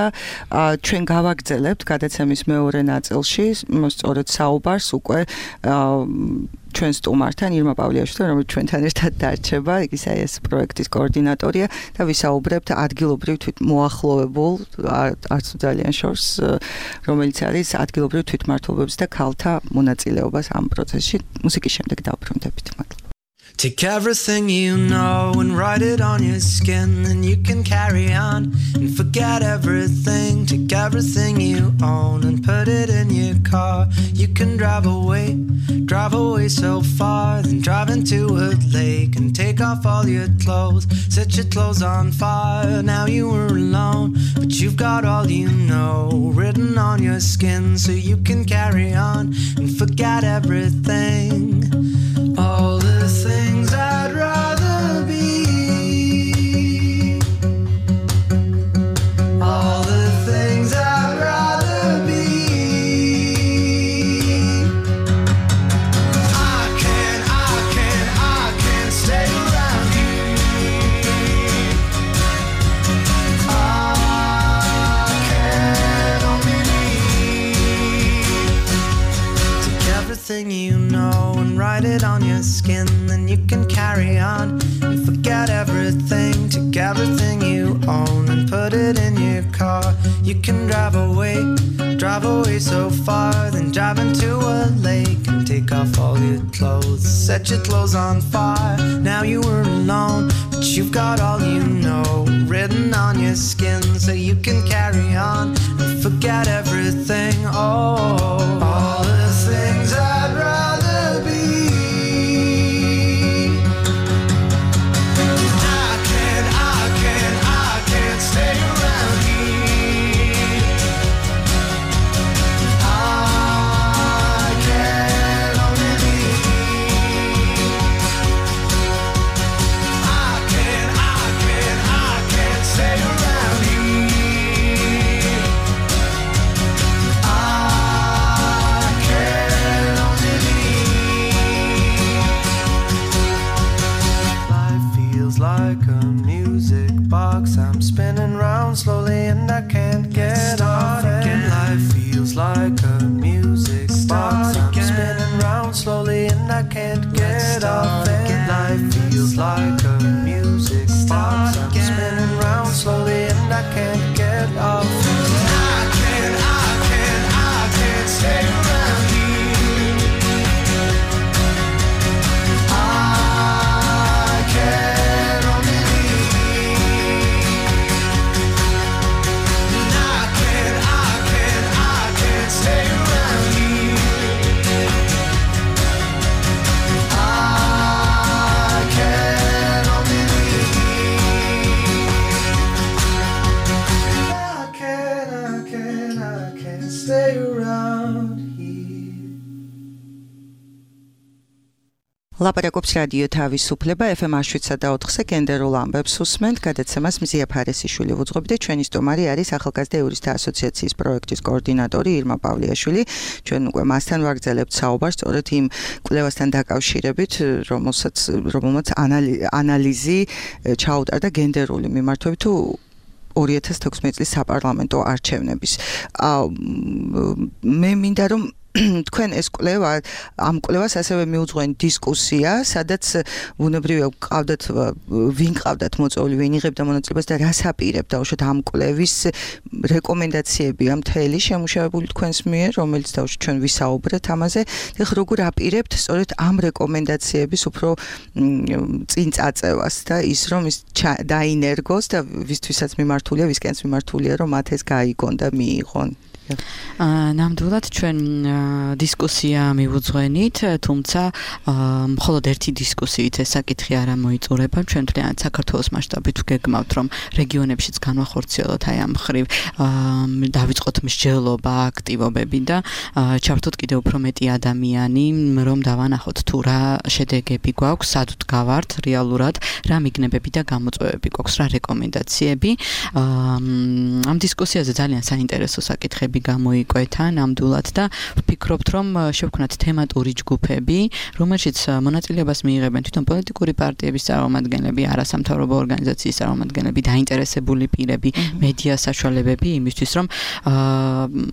ჩვენ გავაგრძელებთ გადაცემის მეორე ნაწილში სწორედ საუბარს უკვე ჩვენ სტუმართან ირმა პავლიაშვილთან, რომელიც ჩვენთან ერთად დარჩება, ის აი ეს პროექტის კოორდინატორია და ვისაუბრებთ ადგილობრივ თვითმოახლოვებულ არც ძალიან შორს, რომელიც არის ადგილობრივ თვითმმართველობებს და ქალთა მონაწილეობას ამ პროცესში. მუსიკის შემდეგ დავბრუნდებით. მადლობა.
Take everything you know and write it on your skin, and you can carry on and forget everything. Take everything you own and put it in your car. You can drive away, drive away so far, then drive into a lake and take off all your clothes, set your clothes on fire. Now you were alone, but you've got all you know written on your skin, so you can carry on and forget everything. All the things I'd rather be, all the things I'd rather be. I can't, I can't, I can't stay around you. I can only leave. Take everything you know and write it on your skin, then you can carry on and forget everything. Take everything you own and put it in your car. You can drive away, drive away so far, then drive into a lake and take off all your clothes, set your clothes on fire. Now you were alone, but you've got all you know written on your skin, so you can carry on and forget everything. Oh, all the things I'd rather be. I'm spinning round slowly and I can't get off it. Life feels like a music box. I'm spinning round slowly and I can't get off it. Life feels like a music box. I'm spinning round slowly and I can't get off it. I can't, I can't, I can't stay around you. I can't.
ლაპარაკობს რადიო თავისუფლება ეფ ემ შვიდსა და ოთხზე გენდერულ ამბებს უსმენთ. გადაცემას მზია ფარესიშვილი ვუძღვებით და ჩვენი სტუმარი არის ახალგაზრდა იურისტთა ასოციაციის პროექტის კოორდინატორი ირმა პავლიაშვილი. ჩვენ უკვე მასთან ვაგრძელებთ საუბარს სწორედ იმ კვლევასთან დაკავშირებით, რომელსაც რომელმაც ანალიზი ჩაუტარდა გენდერული მიმართვებით თუ ორი ათას თექვსმეტი წლის საპარლამენტო არჩევნების. მე მინდა რომ თქვენ ეს კვლევა ამ კვლევას ასევე მიუძღვენ დისკუსია, სადაც ბუნებრივია გყავდათ ვინ ყავდათ მოწვეული, ვინ იღებდა მონაწილეობას და რას აპირებდა უშოთ ამ კვლევის რეკომენდაციები ამ მთელი შემუშავებული თქვენს მიერ, რომელიც თავში ჩვენ ვისაუბრეთ ამაზე. ეხლა როგორ აპირებთ სწორედ ამ რეკომენდაციების უფრო წინ წაწევას და ის რომ ის დაინერგოს და ვისთვისაც მიმართულია, ვისკენს მიმართულია, რომ მათ ეს გაიგონ და მიიღონ.
ნამდვილად ჩვენ დისკუსია მივუძღვენით, თუმცა მხოლოდ ერთი დისკუსიით ეს საკითხი არ მოიწურება. ჩვენ მთლიანად საქართველოს მასშტაბით ვგეგმავთ, რომ რეგიონებშიც განვახორციელოთ აი ამ მხრივ დავიწყოთ მსჯელობა, აქტივობები და ჩავთოთ კიდევ უფრო მეტი ადამიანი, რომ დავანახოთ თუ რა შედეგები გვაქვს, სად ვდგავართ რეალურად, რა მიგნებები და გამოწვევები გვაქვს, რა რეკომენდაციები. ამ დისკუსიაზე ძალიან საინტერესო საკითხები გამოიკვეთა ნამდვილად და ვფიქრობთ, რომ შევქმნათ თემატური ჯგუფები, რომელშიც მონაწილეობას მიიღებენ თვითონ პოლიტიკური პარტიების წარმომადგენლები, არასამთავრობო ორგანიზაციის წარმომადგენლები, დაინტერესებული პირები, მედია საშუალებები იმისთვის, რომ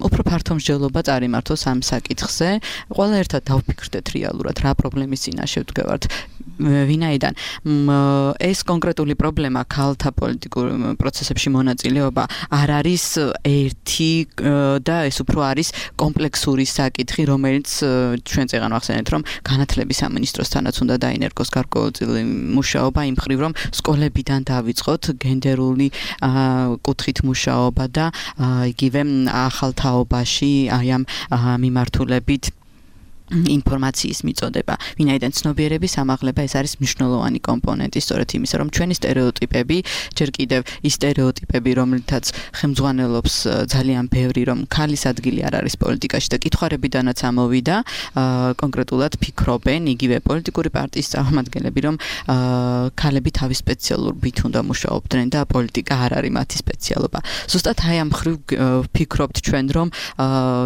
უფრო ფართო მსჯელობა წარიმართოს ამ საკითხზე. ყველა ერთად დავფიქრდეთ რეალურად რა პრობლემის წინაშე ვდგევართ. ვინაიდან ეს კონკრეტული პრობლემა ქალთა პოლიტიკურ პროცესებში მონაწილეობა არ არის ერთი და ეს უფრო არის კომპლექსური საკითხი, რომელიც ჩვენ წეგან ვახსენეთ, რომ განათლების სამინისტროსთანაც უნდა დაინერგოს გარკვეულწილი მუშაობა იმ მხრივ, რომ სკოლებიდან დავიწყოთ გენდერული კუთხით მუშაობა და იგივე ახალ თაობაში აი ამ მიმართულებით ინფორმაციის მიწოდება. ვინაიდან ცნობიერების ამაღლება ეს არის მნიშვნელოვანი კომპონენტი, სწორედ იმისა, რომ ჩვენი სტერეოტიპები, ჯერ კიდევ ის სტერეოტიპები, რომლითაც ხელმძღვანელობს ძალიან ბევრი, რომ ქალის ადგილი არ არის პოლიტიკაში და კითხვარებიდანაც ამოვიდა, კონკრეტულად ფიქრობენ იგივე პოლიტიკური პარტიის წარმომადგენლები, რომ ქალები თავის სპეციალურ ბით უნდა მუშაობდნენ და პოლიტიკა არ არის მათი სპეციალობა. ზუსტად აი ამ მხრივ ფიქრობთ ჩვენ, რომ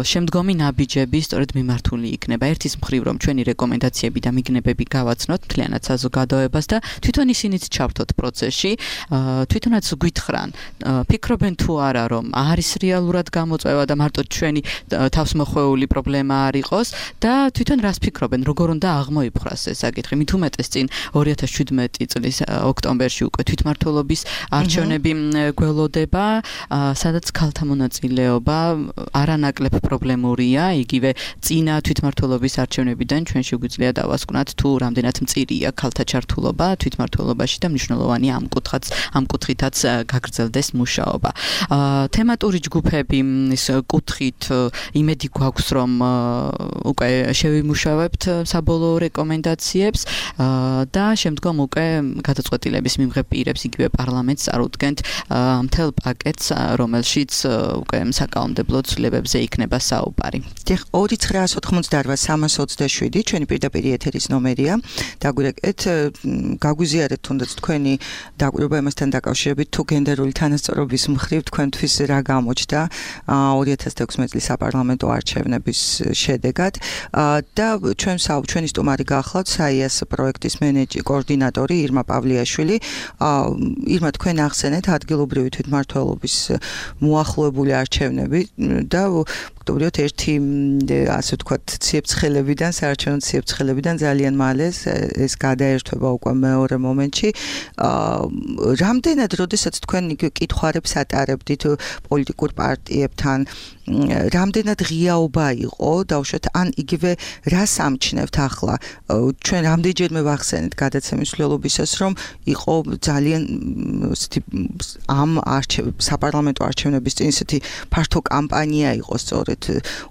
შემდგომი ნაბიჯები სწორედ მიმართული იქნება ერთის მხრივ, რომ ჩვენი რეკომენდაციები და მიგნებები გავაცნოთ მთლიანად საზოგადოებას და თვითონ ისინიც ჩავთოთ პროცესში, თვითონაც გვითხრან, ფიქრობენ თუ არა, რომ არის რეალურად გამოწვევა და მარტო ჩვენი თავსმოხვეული პრობლემა არ იყოს და თვითონ რას ფიქრობენ, როგორ უნდა აღმოიფხვრას ეს საკითხი. მით უმეტეს წინ ორი ათას შვიდმეტი წლის ოქტომბერში უკვე თვითმმართველობის არჩევნები გველოდება, სადაც ქალთა მონაწილეობა არანაკლებ პრობლემურია, იგივე წინა თვითმმართველობის არჩევნებიდან ჩვენ შეგვიძლია დავასკვნათ თუ რამდენად მწირია ქალთა ჩართულობა თვითმმართველობაში და მნიშვნელოვანი ამ კუთხაც ამ კუთხითაც გაგრძელდეს მუშაობა. თემატური ჯგუფები ის კუთხით იმედი გვაქვს, რომ უკვე შევიმუშავებთ საბოლოო რეკომენდაციებს და შემდგომ უკვე გადაწყვეტილების მიმღებ პირებს იგივე პარლამენტს წარუდგენთ მთელ პაკეტს, რომელშიც უკვე საკანონმდებლო ცვლილებებზე იქნება საუბარი.
ორი ცხრაას ოთხმოცდაოთხ სამას ოცდაშვიდი ჩვენი პირდაპირ ეთერის ნომერია. დაგვირეკეთ, გაგვიზიარეთ თუნდაც თქვენი დაკვირვება იმასთან დაკავშირებით, თუ გენდერული თანასწორობის მხრივ თქვენთვის რა გამოჩნდა ორი ათას ექვსმეტი წლის საპარლამენტო არჩევნების შედეგად და ჩვენ ჩვენი სტუმარი გახლავთ საიას პროექტის მენეჯერი კოორდინატორი ირმა პავლიაშვილი. ირმა, თქვენ ახსენეთ ადგილობრივი თვითმმართველობის მოახლოებული არჩევნები და ვთქვათ, ერთი ასე ვთქვათ, ციებ-ცხელებიდან, საარჩევნო ციებ-ცხელებიდან ძალიან მალე ეს გადაერთვება უკვე მეორე მომენტში. რამდენად, როდესაც თქვენ კითხვარებს ატარებდით პოლიტიკურ პარტიებთან, რამდენად ღიაობა იყო, დავუშვათ, ან იგივე რას ამჩნევთ ახლა? ჩვენ რამდენჯერმე ვახსენეთ გადაცემის მსვლელობისას, რომ იყო ძალიან ამ საპარლამენტო არჩევნების წინ ისეთი ფართო კამპანია იყო სწორედ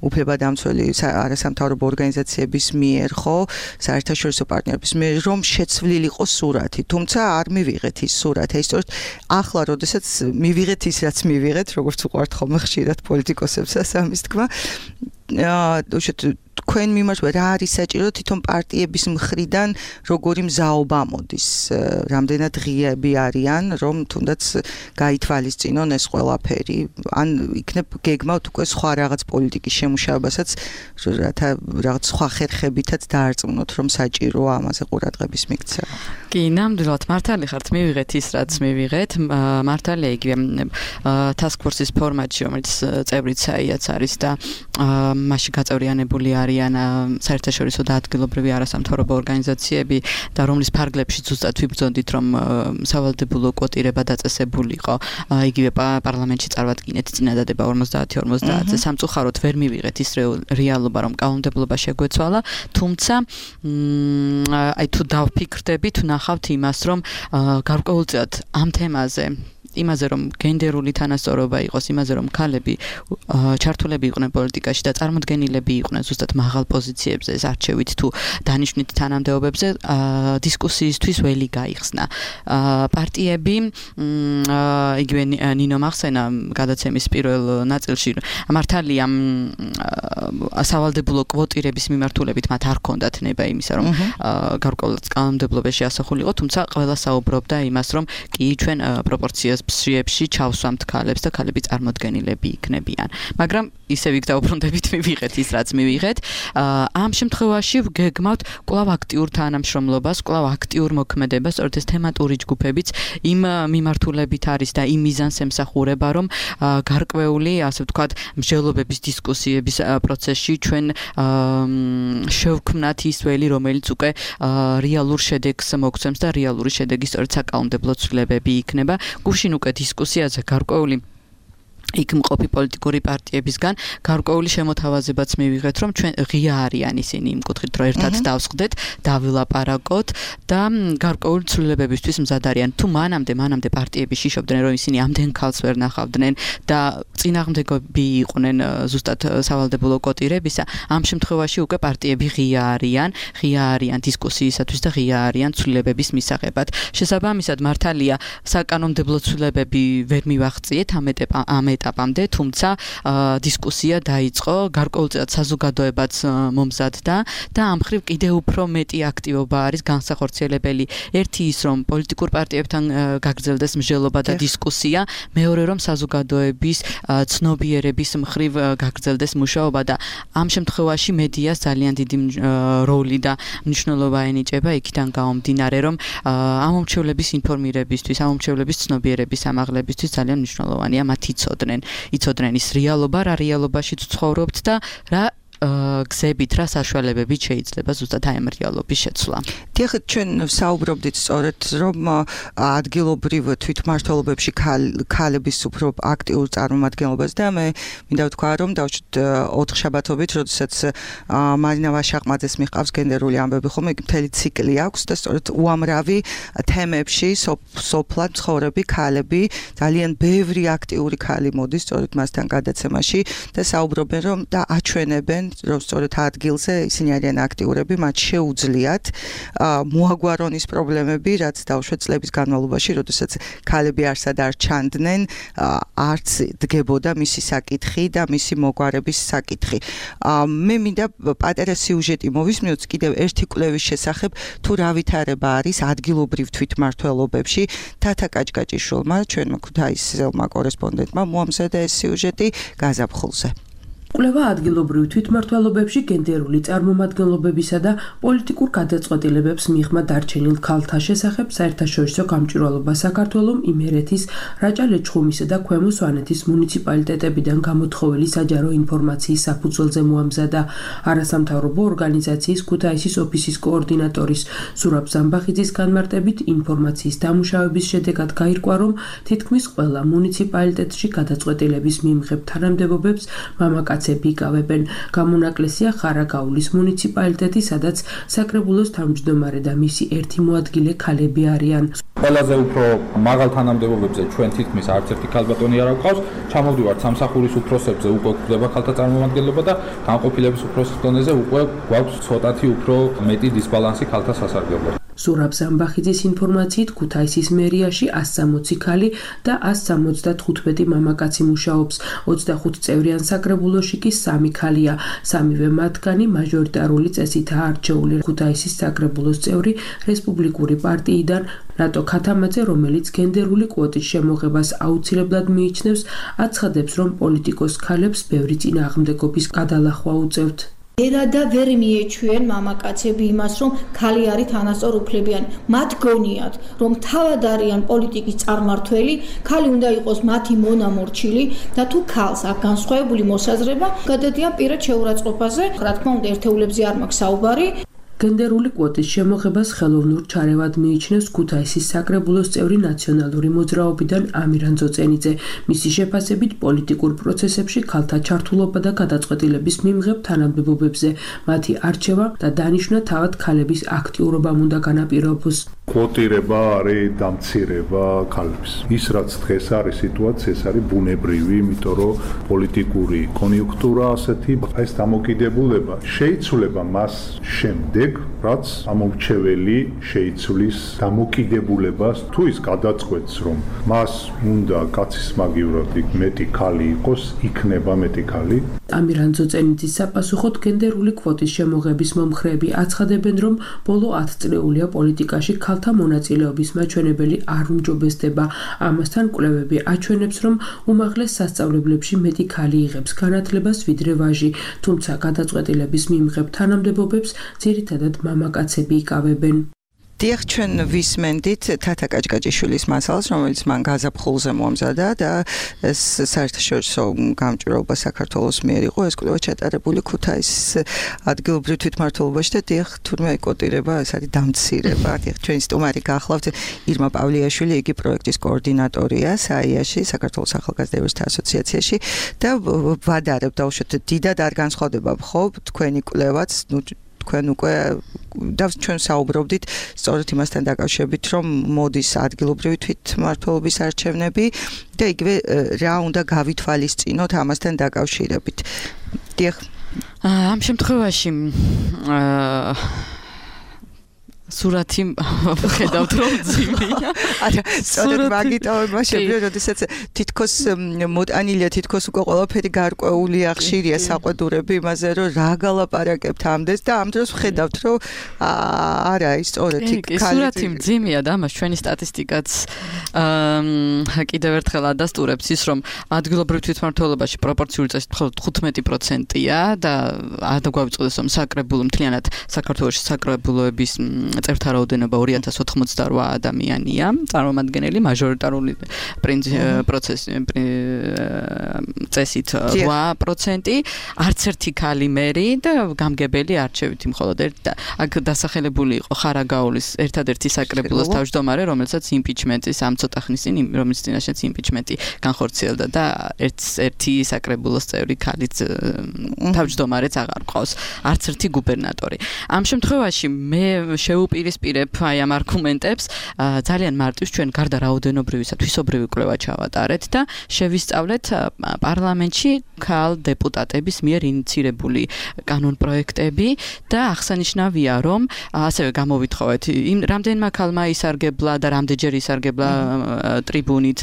უფლებადამცველი არასამთავრობო ორგანიზაციების მიერ, ხო, საერთაშორისო პარტნიორების მიერ, რომ შეცვლილი იყო სურათი, თუმცა არ მივიღეთ ის სურათი. აი სწორედ ახლა, როდესაც მივიღეთ ის, რაც მივიღეთ, როგორც უყვართ ხოლმე ხშირად პოლიტიკოსებსაც ამის თქმა, თქვენ მიმართ რა არის საჭირო თვითონ პარტიების მხრიდან როგორი მზაობა მოდის, რამდენად ღიები არიან, რომ თუნდაც გაითვალისწინონ ეს ყველაფერი, ან იქნებ გეგმავთ უკვე სხვა რაღაც პოლიტიკის შემუშავებასაც, რათა რაღაც სხვა ხერხებითაც დაარწმუნოთ, რომ საჭიროა ამაზე ყურადღების მიქცევა.
კი, ნამდვილად მართალი ხართ, მივიღეთ ის, რაც მივიღეთ. მართალია იგივე task force-ის ფორმატში, რომელიც წევრიც საიაც არის და მასში გაწევრიანებული არიან საერთაშორისო და ადგილობრივი არასამთავრობო ორგანიზაციები და რომლის ფარგლებში ზუსტად ვიბრძოდით, რომ სავალდებულო კვოტირება დაწესებულიყო, იგივე პარლამენტში წარვადგინეთ წინადადება ორმოცდაათი ორმოცდაათზე. სამწუხაროდ ვერ მივიღეთ ის რეალობა, რომ კანონმდებლობა შეგვეცვალა, თუმცა აი თუ დავფიქრდებით, ნახავთ იმას, რომ გარკვეულწილად ამ თემაზე იმაზე, რომ გენდერული თანასწორობა იყოს, იმაზე, რომ ქალები ჩართულები იყვნენ პოლიტიკაში და წარმოდგენილები იყვნენ ზუსტად მაღალ პოზიციებზე, არჩევით თუ დანიშვნით თანამდებობებზე, დისკუსიისთვის ველი გაიხსნა. პარტიები, იგივე ნინო მახსენა გადაცემის პირველ ნაწილში, მართალია სავალდებულო კვოტირების მიმართულებით მათ არ ჰქონდათ ნება იმისა, რომ გარკვეულად კანონმდებლობაში ასახულიყო, თუმცა ყველა საუბრობდა იმას, რომ კი ჩვენ პროპორციას სიებში ჩავსვამთ ქალებს და ქალები წარმოდგენილები იქნებიან. მაგრამ ისევ იქ დაუბრუნდებით მივიღეთ ის რაც მივიღეთ. ამ შემთხვევაში გეგმავთ კვლავ აქტიურ თანამშრომლობას, კვლავ აქტიურ მოქმედებას, სწორედ ეს თემატური ჯგუფებიც იმ მიმართულებით არის და იმ მიზანს ემსახურება, რომ გარკვეული, ასე ვთქვათ, მსჯელობების დისკუსიების პროცესში ჩვენ შევქმნათ ის ველი, რომელიც უკვე რეალურ შედეგს მოგცემს და რეალური შედეგი სწორედ საკანონმდებლო ცვლილებები იქნება. გუშინ უკვე დისკუსიაზე გარკვეული იქ მყოფი პოლიტიკური პარტიებისგან გარკვეული შემოთავაზებაც მივიღეთ, რომ ჩვენ ღია არიან ისინი იმ კუთხით, რომ ერთად დავსხდეთ, დავილაპარაკოთ და გარკვეული ცვლილებებისთვის მზად არიან. თუ მანამდე, მანამდე პარტიები შიშობდნენ, რომ ისინი ამდენ ქალს ვერ ნახავდნენ და წინააღმდეგები იყვნენ ზუსტად სავალდებულო კოტირებისა, ამ შემთხვევაში უკვე პარტიები ღია არიან, ღია არიან დისკუსიისათვის და ღია არიან ცვლილებების მისაღებად. შესაბამისად, მართალია საკანონმდებლო ცვლილებები ვერ მივაღწიეთ ამ ეტაპ ეტაპამდე, თუმცა დისკუსია დაიწყო, გარკვეულწილად საზოგადოებაც მომზადდა და ამ მხრივ კიდევ უფრო მეტი აქტივობა არის განსახორციელებელი. ერთი ის, რომ პოლიტიკურ პარტიებთან გაგრძელდეს მსჯელობა და დისკუსია, მეორე რომ საზოგადოების ცნობიერების მხრივ გაგრძელდეს მუშაობა და ამ შემთხვევაში მედიას ძალიან დიდი როლი და მნიშვნელობა ენიჭება იქიდან გამომდინარე, რომ ამომრჩევლების ინფორმირებისთვის, ამომრჩევლების ცნობიერების ამაღლებისთვის ძალიან მნიშვნელოვანია მათი ცოდნა. იცოდნენ ის რეალობა, რა რეალობაშიც ცხოვრობთ და რა გზებით, რა საშუალებებით შეიძლება ზუსტად აი ამ რეალობის შეცვლა.
დიახ, ჩვენ საუბრობდით სწორედ, რომ ადგილობრივ თვითმმართველობებში ქალების უფრო აქტიურ წარმომადგენლობას და მე მინდა ვთქვა, რომ დავშვით ოთხშაბათობით, როდესაც მარინა ვაშაყმაძეს მიჰყავს გენდერული ამბები, ხომ იქ მთელი ციკლი აქვს და სწორედ უამრავი თემებში სოფლად ცხოვრები ქალები, ძალიან ბევრი აქტიური ქალი მოდის სწორედ მასთან გადაცემაში და საუბრობენ, რომ და აჩვენებენ რომ სწორედ ადგილზე ისინი არიან აქტიურები, მათ შეუძლიათ მოაგვარონ ის პრობლემები, რაც დავშვეთ წლების განმავლობაში, როდესაც ქალები არსად არ ჩანდნენ, არც დგებოდა მისი საკითხი და მისი მოგვარების საკითხი. მე მინდა პატარა სიუჟეტი მოვისმინოთ კიდევ ერთი კვლევის შესახებ, თუ რა ვითარება არის ადგილობრივ თვითმმართველობებში. თათა კაჭკაჭიშვილმა, ჩვენმა ქუთაისელმა კორესპონდენტმა მოამზადა ეს სიუჟეტი გაზაფხულზე.
კვლევა ადგილობრივ თვითმმართველობებში გენდერული წარმომადგენლობებისა და პოლიტიკურ გადაწყვეტილებებს მიღმა დარჩენილ ქალთა შესახებ საერთაშორისო გამჭვირვალობა საქართველოს, იმერეთის, რაჭა-ლეჩხუმისა და ქვემო სვანეთის მუნიციპალიტეტებიდან გამოთხოვილი საჯარო ინფორმაციის საფუძველზე მოამზადა. არასამთავრობო ორგანიზაციის ქუთაისის ოფისის კოორდინატორის ზურაბ ზამბახიძის განმარტებით ინფორმაციის დამუშავების შედეგად გაირკვა, რომ თითქმის ყველა მუნიციპალიტეტში გადაწყვეტილების მიმღებ თანამდებობებს მამაკაცები იკავებენ. გამონაკლისია ხარაგაულის მუნიციპალიტეტი, სადაც საკრებულოს თავმჯდომარე და მისი ერთი მოადგილე ქალები არიან.
ყველაზე უფრო მაღალ თანამდებობებზე ჩვენ თითქმის არც ერთი ქალბატონი არ გვყავს. ჩამოვდივართ სამსახურის უფროსებზე, უკვე გვხვდება ქალთა წარმომადგენლობა და განყოფილების უფროსის დონეზე უკვე გვაქვს ცოტათი უფრო მეტი დისბალანსი ქალთა სასარგებლოდ.
ზურაბ ზამბახიძის ინფორმაციით ქუთაისის მერიაში ასი სამოცი ქალი და ასი სამოცდათხუთმეტი მამაკაცი მუშაობს. ოცდახუთ წევრიან საკრებულოში კი სამი ქალია. სამივე მათგანი მაჟორიტარული წესითაა არჩეული. ქუთაისის საკრებულოს წევრი რესპუბლიკური პარტიიდან რატო ქათამაძე, რომელიც გენდერული კვოტის შემოღებას აუცილებლად მიიჩნევს, აცხადებს, რომ პოლიტიკოს ქალებს ბევრი წინააღმდეგობის გადალახვა უწევთ.
ერადა ვერ მიეჩვენ მამაკაცები იმას, რომ ქალი არის თანასწორ უფლებიანი. მათ გონიათ, რომ თავად არიან პოლიტიკის წარმართველი, ქალი უნდა იყოს მათი მონამორჩილი და თუ ქალს აქვს განსხვავებული მოსაზრება, გადადიან პირად შეურაცხყოფაზე. რა თქმა უნდა, ერთეულებზე არ მაქვს საუბარი.
გენდერული კვოტის შემოღებას ხელოვნურ ჩარევად მიიჩნევს ქუთაისის საკრებულოს წევრი ნაციონალური მოძრაობიდან ამირან ძოწენიძე. მისი შეფასებით პოლიტიკურ პროცესებში ქალთა ჩართულობა და გადაწყვეტილების მიმღებ თანამდებობებზე მათი არჩევა და დანიშვნა თავად ქალების აქტიურობამ უნდა განაპირობოს.
კვოტირება არის დამცირება ქალებს. ის რაც დღეს არის სიტუაცია, ეს არის ბუნებრივი, იმიტომ რომ პოლიტიკური კონიუნქტურა ასეთი, ეს დამოკიდებულება შეიცვლება მას შემდეგ, რაც ამომრჩეველი შეიცვლის დამოკიდებულებას, თუ ის გადაწყვეტს, რომ მას უნდა კაცის მაგივრად მეტი ქალი იყოს, იქნება მეტი ქალი.
ამირან ძოწენიძის საპასუხოდ გენდერული კვოტის შემოღების მომხრეები აცხადებენ, რომ ბოლო ათწლეულია პოლიტიკაში ქალ ქალთა მონაწილეობის მაჩვენებელი არ უმჯობესდება. ამასთან კვლევები აჩვენებს, რომ უმაღლეს სასწავლებლებში მეტი ქალი იღებს განათლებას ვიდრე ვაჟი, თუმცა გადაწყვეტილების მიმღებ თანამდებობებს ძირითადად მამაკაცები იკავებენ.
დიახ, ჩვენ ვისმენდით თათა კაჭკაჭიშვილის მასალას, რომელიც მან გაზაფხულზე მომზადა და ეს საერთაშორისო გამჭვირვალობა საქართველოს მიერ იყო, ეს კვლევა ჩატარებული ქუთაისის ადგილობრივ თვითმმართველობაში და დიახ, თურმე იკოტირება, ეს არის დამცირება. დიახ, ჩვენი სტუმარი გახლავთ ირმა პავლიაშვილი, იგი პროექტის კოორდინატორია საიაში, საქართველოს ახალგაზრდების ასოციაციაში და ვადარებ დავუშვათ, დიდად არ განსხვავდება ხო თქვენი კვლევაც, ნუ თქვენ უკვე და ჩვენ საუბრობდით სწორედ იმასთან დაკავშირებით, რომ მოდის ადგილობრივი თვითმმართველობის არჩევნები და იგივე რა უნდა გავითვალისწინოთ ამასთან დაკავშირებით. დიახ.
ამ შემთხვევაში აა სურათი ხედავთ რომ ძიმია.
არა, სწორედ მაგიტოვება შეგვიძლია, როდესაც თითქოს მოტანილია, თითქოს უკვე ყველაფერი გარკვეულია, ხშირია საყვედურები იმაზე, რომ რა გალაპარაკებთ ამდენს და ამ დროს ვხედავთ, რომ არა, ის სწორედ იქ
ქალი. სურათი ძიმია და ამას ჩვენი სტატისტიკაც აა კიდევ ერთხელ ადასტურებს ის, რომ ადგილობრივ თვითმმართველობაში პროპორციული წესით მხოლოდ თხუთმეტი პროცენტია და ადა გვავიწყდეს, რომ საკრებულო მთლიანად საქართველოში საკრებულოების წევრთა რაოდენობა ორი ათას ოთხმოცდარვა ადამიანია, წარმომადგენელი მაჟორიტარული პროცესი წესით რვა პროცენტი, არც ერთი ქალი მერი და გამგებელი არჩევითი მხოლოდ ერთ და აქ დასახელებული იყო ხარაგაულის ერთადერთი საკრებულოს თავმჯდომარე, რომელსაც იმპიჩმენტის ამ ცოტა ხნის წინ, რომელიც წინაშეც იმპიჩმენტი განხორციელდა და ერთი საკრებულოს წევრი ქალიც თავმჯდომარეც აღარ ყავს, არც ერთი გუბერნატორი. ამ შემთხვევაში მე შეუპირისპირებ აი ამ არგუმენტებს, ძალიან მარტივს ჩვენ გარდა რაოდენობრივისა თვისობრივი კვლევა ჩავატარეთ და შევისწავლეთ პარლამენტში ქალ დეპუტატების მიერ ინიცირებული კანონპროექტები და აღსანიშნავია, რომ ასევე გამოვითხოვეთ იმ რამდენმა ქალმა ისარგებლა და რამდენჯერ ისარგებლა ტრიბუნით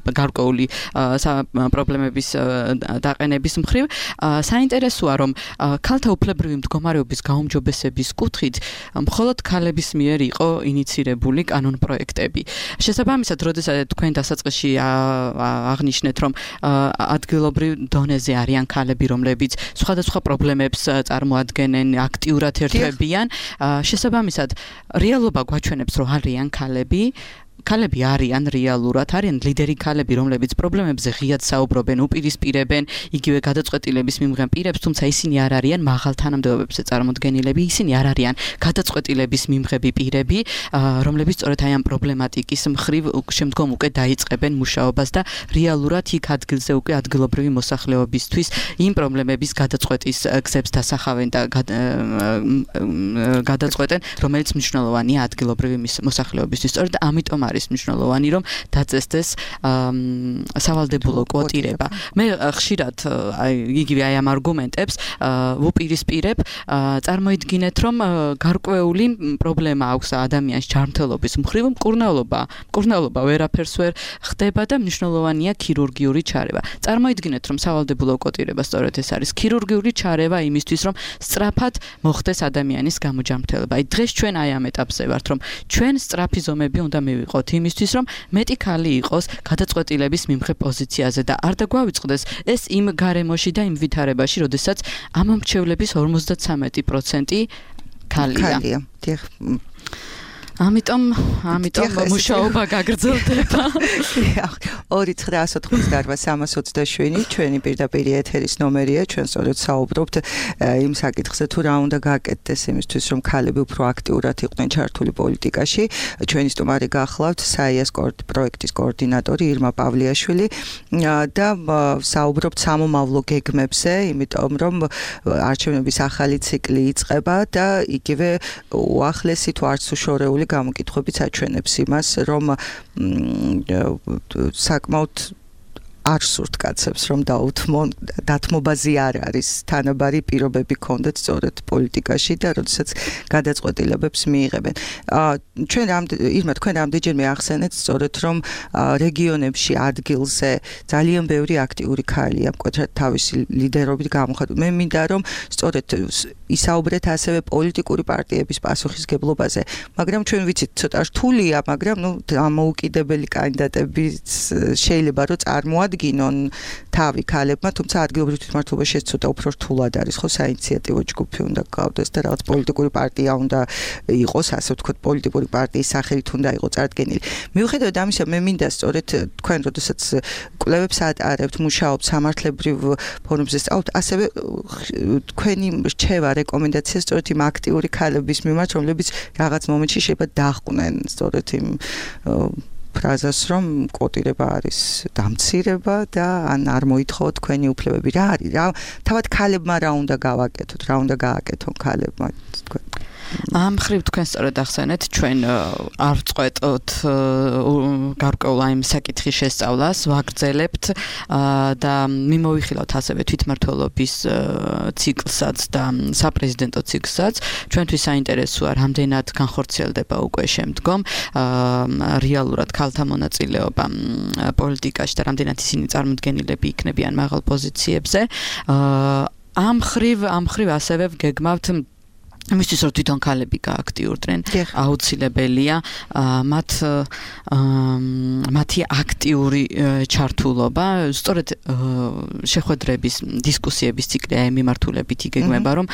გარკვეული პრობლემების დაყენების მხრივ. საინტერესოა, რომ ქალთა უფლებრივი მდგომარეობის გაუმჯობესების კუთხით მხოლოდ ქალების მიერ იყო ინიცირებული კანონპროექტები. შესაბამისად, როდესაც თქვენ დასაწყისში აღნიშნეთ, რომ ადგილობრივ დონეზე არიან ქალები, რომლებიც სხვადასხვა პრობლემებს წარმოადგენენ, აქტიურად ერთვებიან, შესაბამისად, რეალობა გვაჩვენებს, რომ არიან ქალები, ქალები არიან რეალურად, არიან ლიდერი ქალები, რომლებიც პრობლემებზე ღიად საუბრობენ, უპირისპირებენ, იგივე გადაწყვეტილების მიმღებ პირებს, თუმცა ისინი არ არიან მაღალ თანამდებობებზე წარმოდგენილები, ისინი არ არიან გადაწყვეტილების მიმღები პირები, რომლებიც სწორედ აი ამ პრობლემატიკის მხრივ შემდგომ უკვე დაიწყებენ მუშაობას და რეალურად იქ ადგილზე უკვე ადგილობრივი მოსახლეობისთვის იმ პრობლემების გადაწყვეტის გზებს დასახავენ და გადაწყვეტენ, რომელიც მნიშვნელოვანია ადგილობრივი მოსახლეობისთვის. სწორედ ამიტომ არის მნიშვნელოვანი, რომ დაწესდეს სავალდებულო კვოტირება. მე ხშირად აი იგივე აი ამ არგუმენტებს ვუპირისპირებ, წარმოიდგინეთ, რომ გარკვეული პრობლემა აქვს ადამიანის ჯანმრთელობის მხრივ, მკურნალობა, მკურნალობა ვერაფერს ვერ ხდება და მნიშვნელოვანია ქირურგიული ჩარევა. წარმოიდგინეთ, რომ სავალდებულო კვოტირება სწორედ ეს არის ქირურგიული ჩარევა იმისთვის, რომ სწრაფად მოხდეს ადამიანის გამოჯანმრთელება. აი დღეს ჩვენ აი ამ ეტაპზე ვართ, რომ ჩვენ სწრაფი ზომები უნდა მივიღოთ იმისთვის, რომ მეტი ქალი იყოს გადაწყვეტილების მიმღებ პოზიციაზე და არ დაგვავიწყდეს ეს იმ გარემოში და იმ ვითარებაში, როდესაც ამ მრჩევლების ორმოცდათვრამეტი პროცენტი ქალია.
ქალია. დიახ.
ამიტომ, ამიტომ მუშაობა გაგრძელდება.
ორი ცხრაას ოთხმოცდაარვა სამას ოცდაშვიდი ჩვენი პირდაპირ ეთერის ნომერია, ჩვენ სწორედ საუბრობთ იმ საკითხზე, თუ რა უნდა გააკეთდეს იმისთვის, რომ ქალები უფრო აქტიურად იყვნენ ჩართული პოლიტიკაში. ჩვენი სტუმარი გახლავთ საიას პროექტის კოორდინატორი ირმა პავლიაშვილი და საუბრობთ სამომავლო გეგმებზე, იმიტომ რომ არჩევნების ახალი ციკლი იწყება და იგივე უახლესი თუ არც უშორეული გამოკითხვებიც აჩვენებს იმას, რომ საკმაოდ არ სურთ კაცებს რომ დაუთმონ დათმობაზე არ არის თანაბარი პირობები ქონდეთ სწორედ პოლიტიკაში და როდესაც გადაწყვეტილებებს მიიღებენ. ჩვენ რამ ირმა თქვენ რამდენჯერმე ახსენეთ სწორედ რომ რეგიონებში ადგილზე ძალიან ბევრი აქტიური ქალია მკვეთრად თავისი ლიდერობით გამოხატული. მე მინდა რომ სწორედ ისაუბრეთ ასევე პოლიტიკური პარტიების პასუხისგებლობაზე, მაგრამ ჩვენ ვიცით ცოტა რთულია, მაგრამ ნუ დამოუკიდებელი კანდიდატებიც შეიძლება რომ წარმოადგინონ თავი ქალებმა, თუმცა ადგილობრივ თვითმმართველობაში ეს ცოტა უფრო რთულად არის, ხო, საინიციატივო ჯგუფი უნდა გყავდეს და რაღაც პოლიტიკური პარტია უნდა იყოს, ასე ვთქვათ, პოლიტიკური პარტიის სახელით უნდა იყოს წარდგენილი. მიუხედავად ამისა, მე მინდა სწორედ თქვენ როდესაც კვლევებს ატარებთ, მუშაობთ სამართლებრივ ფორუმებზე სწავლთ, ასევე თქვენი რჩევა რეკომენდაცია სწორედ იმ აქტიური ქალების მიმართ, რომლებიც რაღაც მომენტში შეიძლება დაჰყვნენ სწორედ იმ ფრაზას, რომ კოტირება არის დამცირება და ან არ მოითხოვოთ თქვენი უფლებები. რა არის? რა თავად ქალებმა რა უნდა გავაკეთოთ, რა უნდა გააკეთონ ქალებმა თქვენ?
ამ ხრივ თქვენ სწორედ ახსენეთ, ჩვენ არ წყვეტოთ გარკვეულ აი საკითხის შესწავლას, ვაგრძელებთ და მიმოვიხილავთ ასევე თვითმმართველობის ციკლსაც და საპრეზიდენტო ციკლსაც. ჩვენთვის საინტერესოა, რამდენად განხორციელდება უკვე შემდგომ რეალურად ქალთა მონაწილეობა პოლიტიკაში და რამდენად ისინი წარმოდგენილები იქნებიან მაღალ პოზიციებზე. ამ ხრივ ამ ხრივ ასევე ვგეგმავთ მისთვის რომ თვითონ ქალები გააქტიურდნენ, აუცილებელია მათ მათი აქტიური ჩართულობა, სწორედ შეხვედრების, დისკუსიების ციკლი აი მიმართულებით იგეგმება, რომ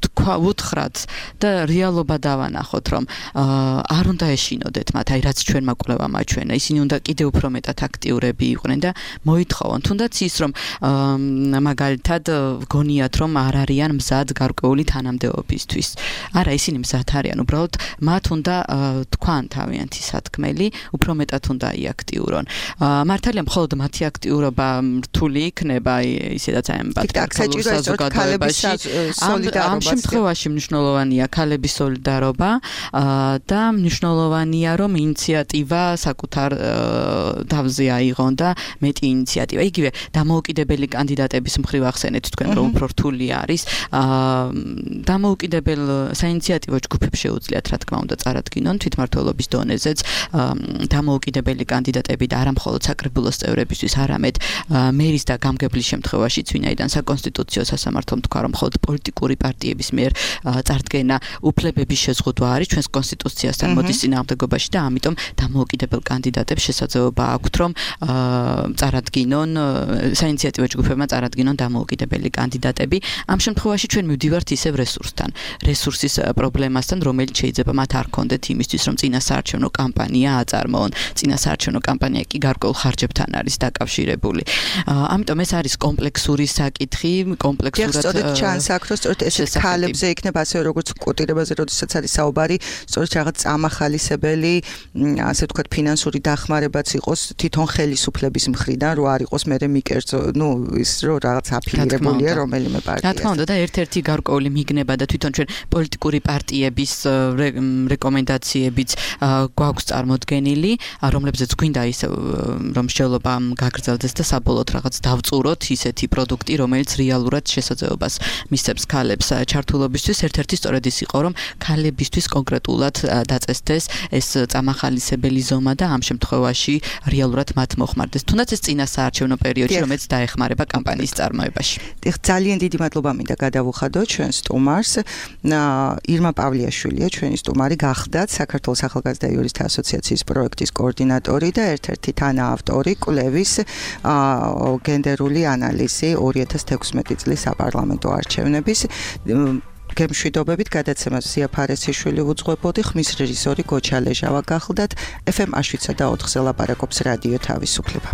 თქვა უთხრათ და რეალობა დავანახოთ, რომ არ უნდა ეშინოდეთ მათ, აი რაც ჩვენმა კვლევამ აჩვენა, ისინი უნდა კიდევ უფრო მეტად აქტიურები იყვნენ და მოითხოვონ, თუნდაც ის რომ მაგალითად გონიათ რომ არ არიან მზად გარკვეული თანამდებობისთვის. არა, ისინი მზად არიან, უბრალოდ მათ უნდა თქვან თავიანთი სათქმელი, უფრო მეტად უნდა იაქტიურონ. მართალია, მხოლოდ მათი აქტიურობა რთული იქნება, ისედაც აი პატრიარქალურ საზოგადოებაში. ამ შემთხვევაში მნიშვნელოვანია ქალების სოლიდარობა და მნიშვნელოვანია, რომ ინიციატივა საკუთარ თავზე აიღონ და მეტი ინიციატივა. იგივე დამოუკიდებელი კანდიდატების მხრივ ახსენეთ თქვენ, რომ უფრო რთული არის. დამოუკიდებელ საინიციატივო ჯგუფებს შეუძლიათ, რა თქმა უნდა, წარადგინონ თვითმმართველობის დონეზეც დამოუკიდებელი კანდიდატები და არა მხოლოდ საკრებულოს წევრებისთვის, არამედ მერის და გამგებლის შემთხვევაშიც, ვინაიდან საკონსტიტუციო სასამართლომ თქვა, რომ მხოლოდ პოლიტიკური პარტიების მიერ წარდგენა უფლებების შეზღუდვა არის ჩვენს კონსტიტუციასთან მოდის წინააღმდეგობაში და ამიტომ დამოუკიდებელ კანდიდატებს შესაძლებლობა აქვთ, რომ წარადგინონ საინიციატივო ჯგუფებმა წარადგინონ დამოუკიდებელი კანდიდატები. ამ შემთხვევაში ჩვენ მივდივართ ისევ რესურსთან. რესურსის პრობლემასთან, რომელიც შეიძლება მათ არ ქონდეთ იმისთვის, რომ წინასაარჩევნო კამპანია აწარმოონ. წინასაარჩევნო კამპანია კი გარკვეულ ხარჯებთან არის დაკავშირებული. ამიტომ ეს არის კომპლექსური საკითხი, კომპლექსურად
სწორედ ჩანს აქ, რომ სწორედ ესეთ ქალებზე იქნება ასევე როგორც კოტირებაზე, როდესაც არის საუბარი, სწორედ რაღაც წამახალისებელი, ასე ვთქვათ, ფინანსური დახმარებაც იყოს თვითონ ხელისუფლების მხრიდან, რო არ იყოს მერე მიკერძო, ნუ ის რო რაღაც აფილირებულია რომელიმე პარტიას.
რა თქმა უნდა და ერთ-ერთი გარკვეული მიგნება და თვითონ ჩვენ პოლიტიკური პარტიების რეკომენდაციებიც გვაქვს წარმოდგენილი, რომლებზეც გვინდა ისე რომ შეძლება გაგრძელდეს და საბოლოოდ რაღაც დავწუროთ ისეთი პროდუქტი, რომელიც რეალურად შესაძლებლობას მისცემს ქალებს ჩართულობისთვის. ერთ-ერთი სწორედ ის იყო, რომ ქალებისთვის კონკრეტულად დაწესდეს ეს წამახალისებელი ზომა და ამ შემთხვევაში რეალურად მათ მოხმარდეს. თუნდაც ეს წინასაარჩევნო პერიოდში, რომელიც დაეხმარება კამპანიის წარმოებაში.
ძალიან დიდი მადლობა მინდა გადავუხადოთ ჩვენ სტუმარს. ირმა პავლიაშვილია, ჩვენი სტუმარი გახდათ საქართველოს ახალგაზრდა იურისტთა ასოციაციის პროექტის კოორდინატორი და ერთ-ერთი თანაავტორი კვლევის გენდერული ანალიზი ორი ათას თექვსმეტი წლის საპარლამენტო არჩევნების. გემშვიდობებით გადაცემას ზია ფარესიშვილი უძღვებოდი, ხმის რეჟისორი გოჩა ლეჟავა გახლდათ. ეფ ემ შვიდსა და ოთხზე ლაპარაკობს რადიო თავისუფლება.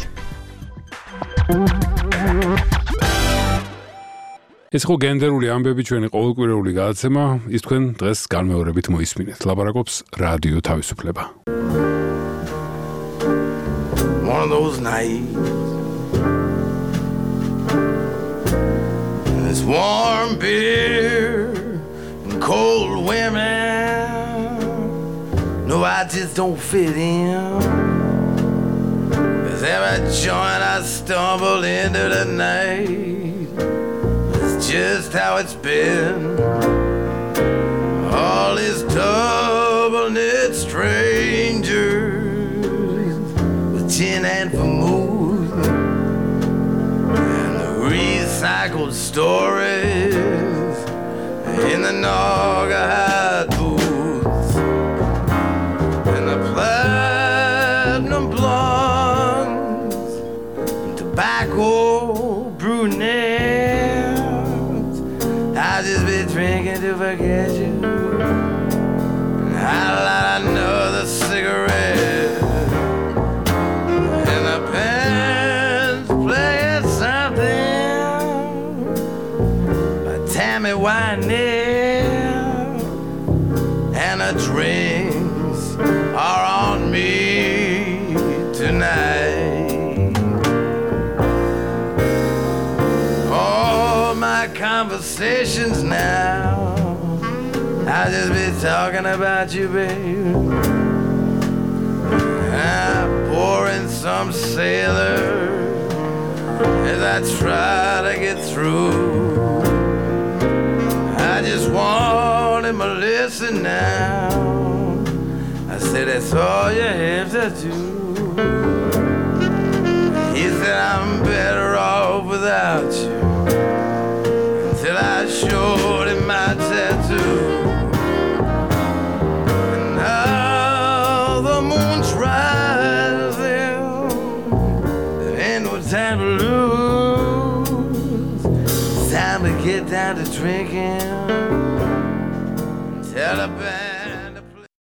ეს ხო გენდერული ამბები ჩვენი ყოველკვირეული გადაცემა, ის თქვენ დღეს განმეორებით მოისმინეთ. ლაპარაკობს რადიო თავისუფლება.
One of those nights It's warm beer and cold women No, I just don't fit in 'Cause every joint I stumble into tonight is just how it's been. All these double-knit strangers with gin and vermouth and the recycled stories in the Naugahyde booths and the platinum blondes and tobacco brunettes. I'll just be drinking to forget you. I'll light another cigarette and the band's playing something by Tammy Wynette, and the drinks are on me tonight. All my conversations now, I'll just be talking about you, babe. I'm pouring some sailor as I try to get through. I just want him to listen now. I said, that's all you have to do. He said, I'm better off without you, until I showed him my tattoo. And now the moon's rising, there ain't no time to lose. It's time to get down to drinking. Tell the band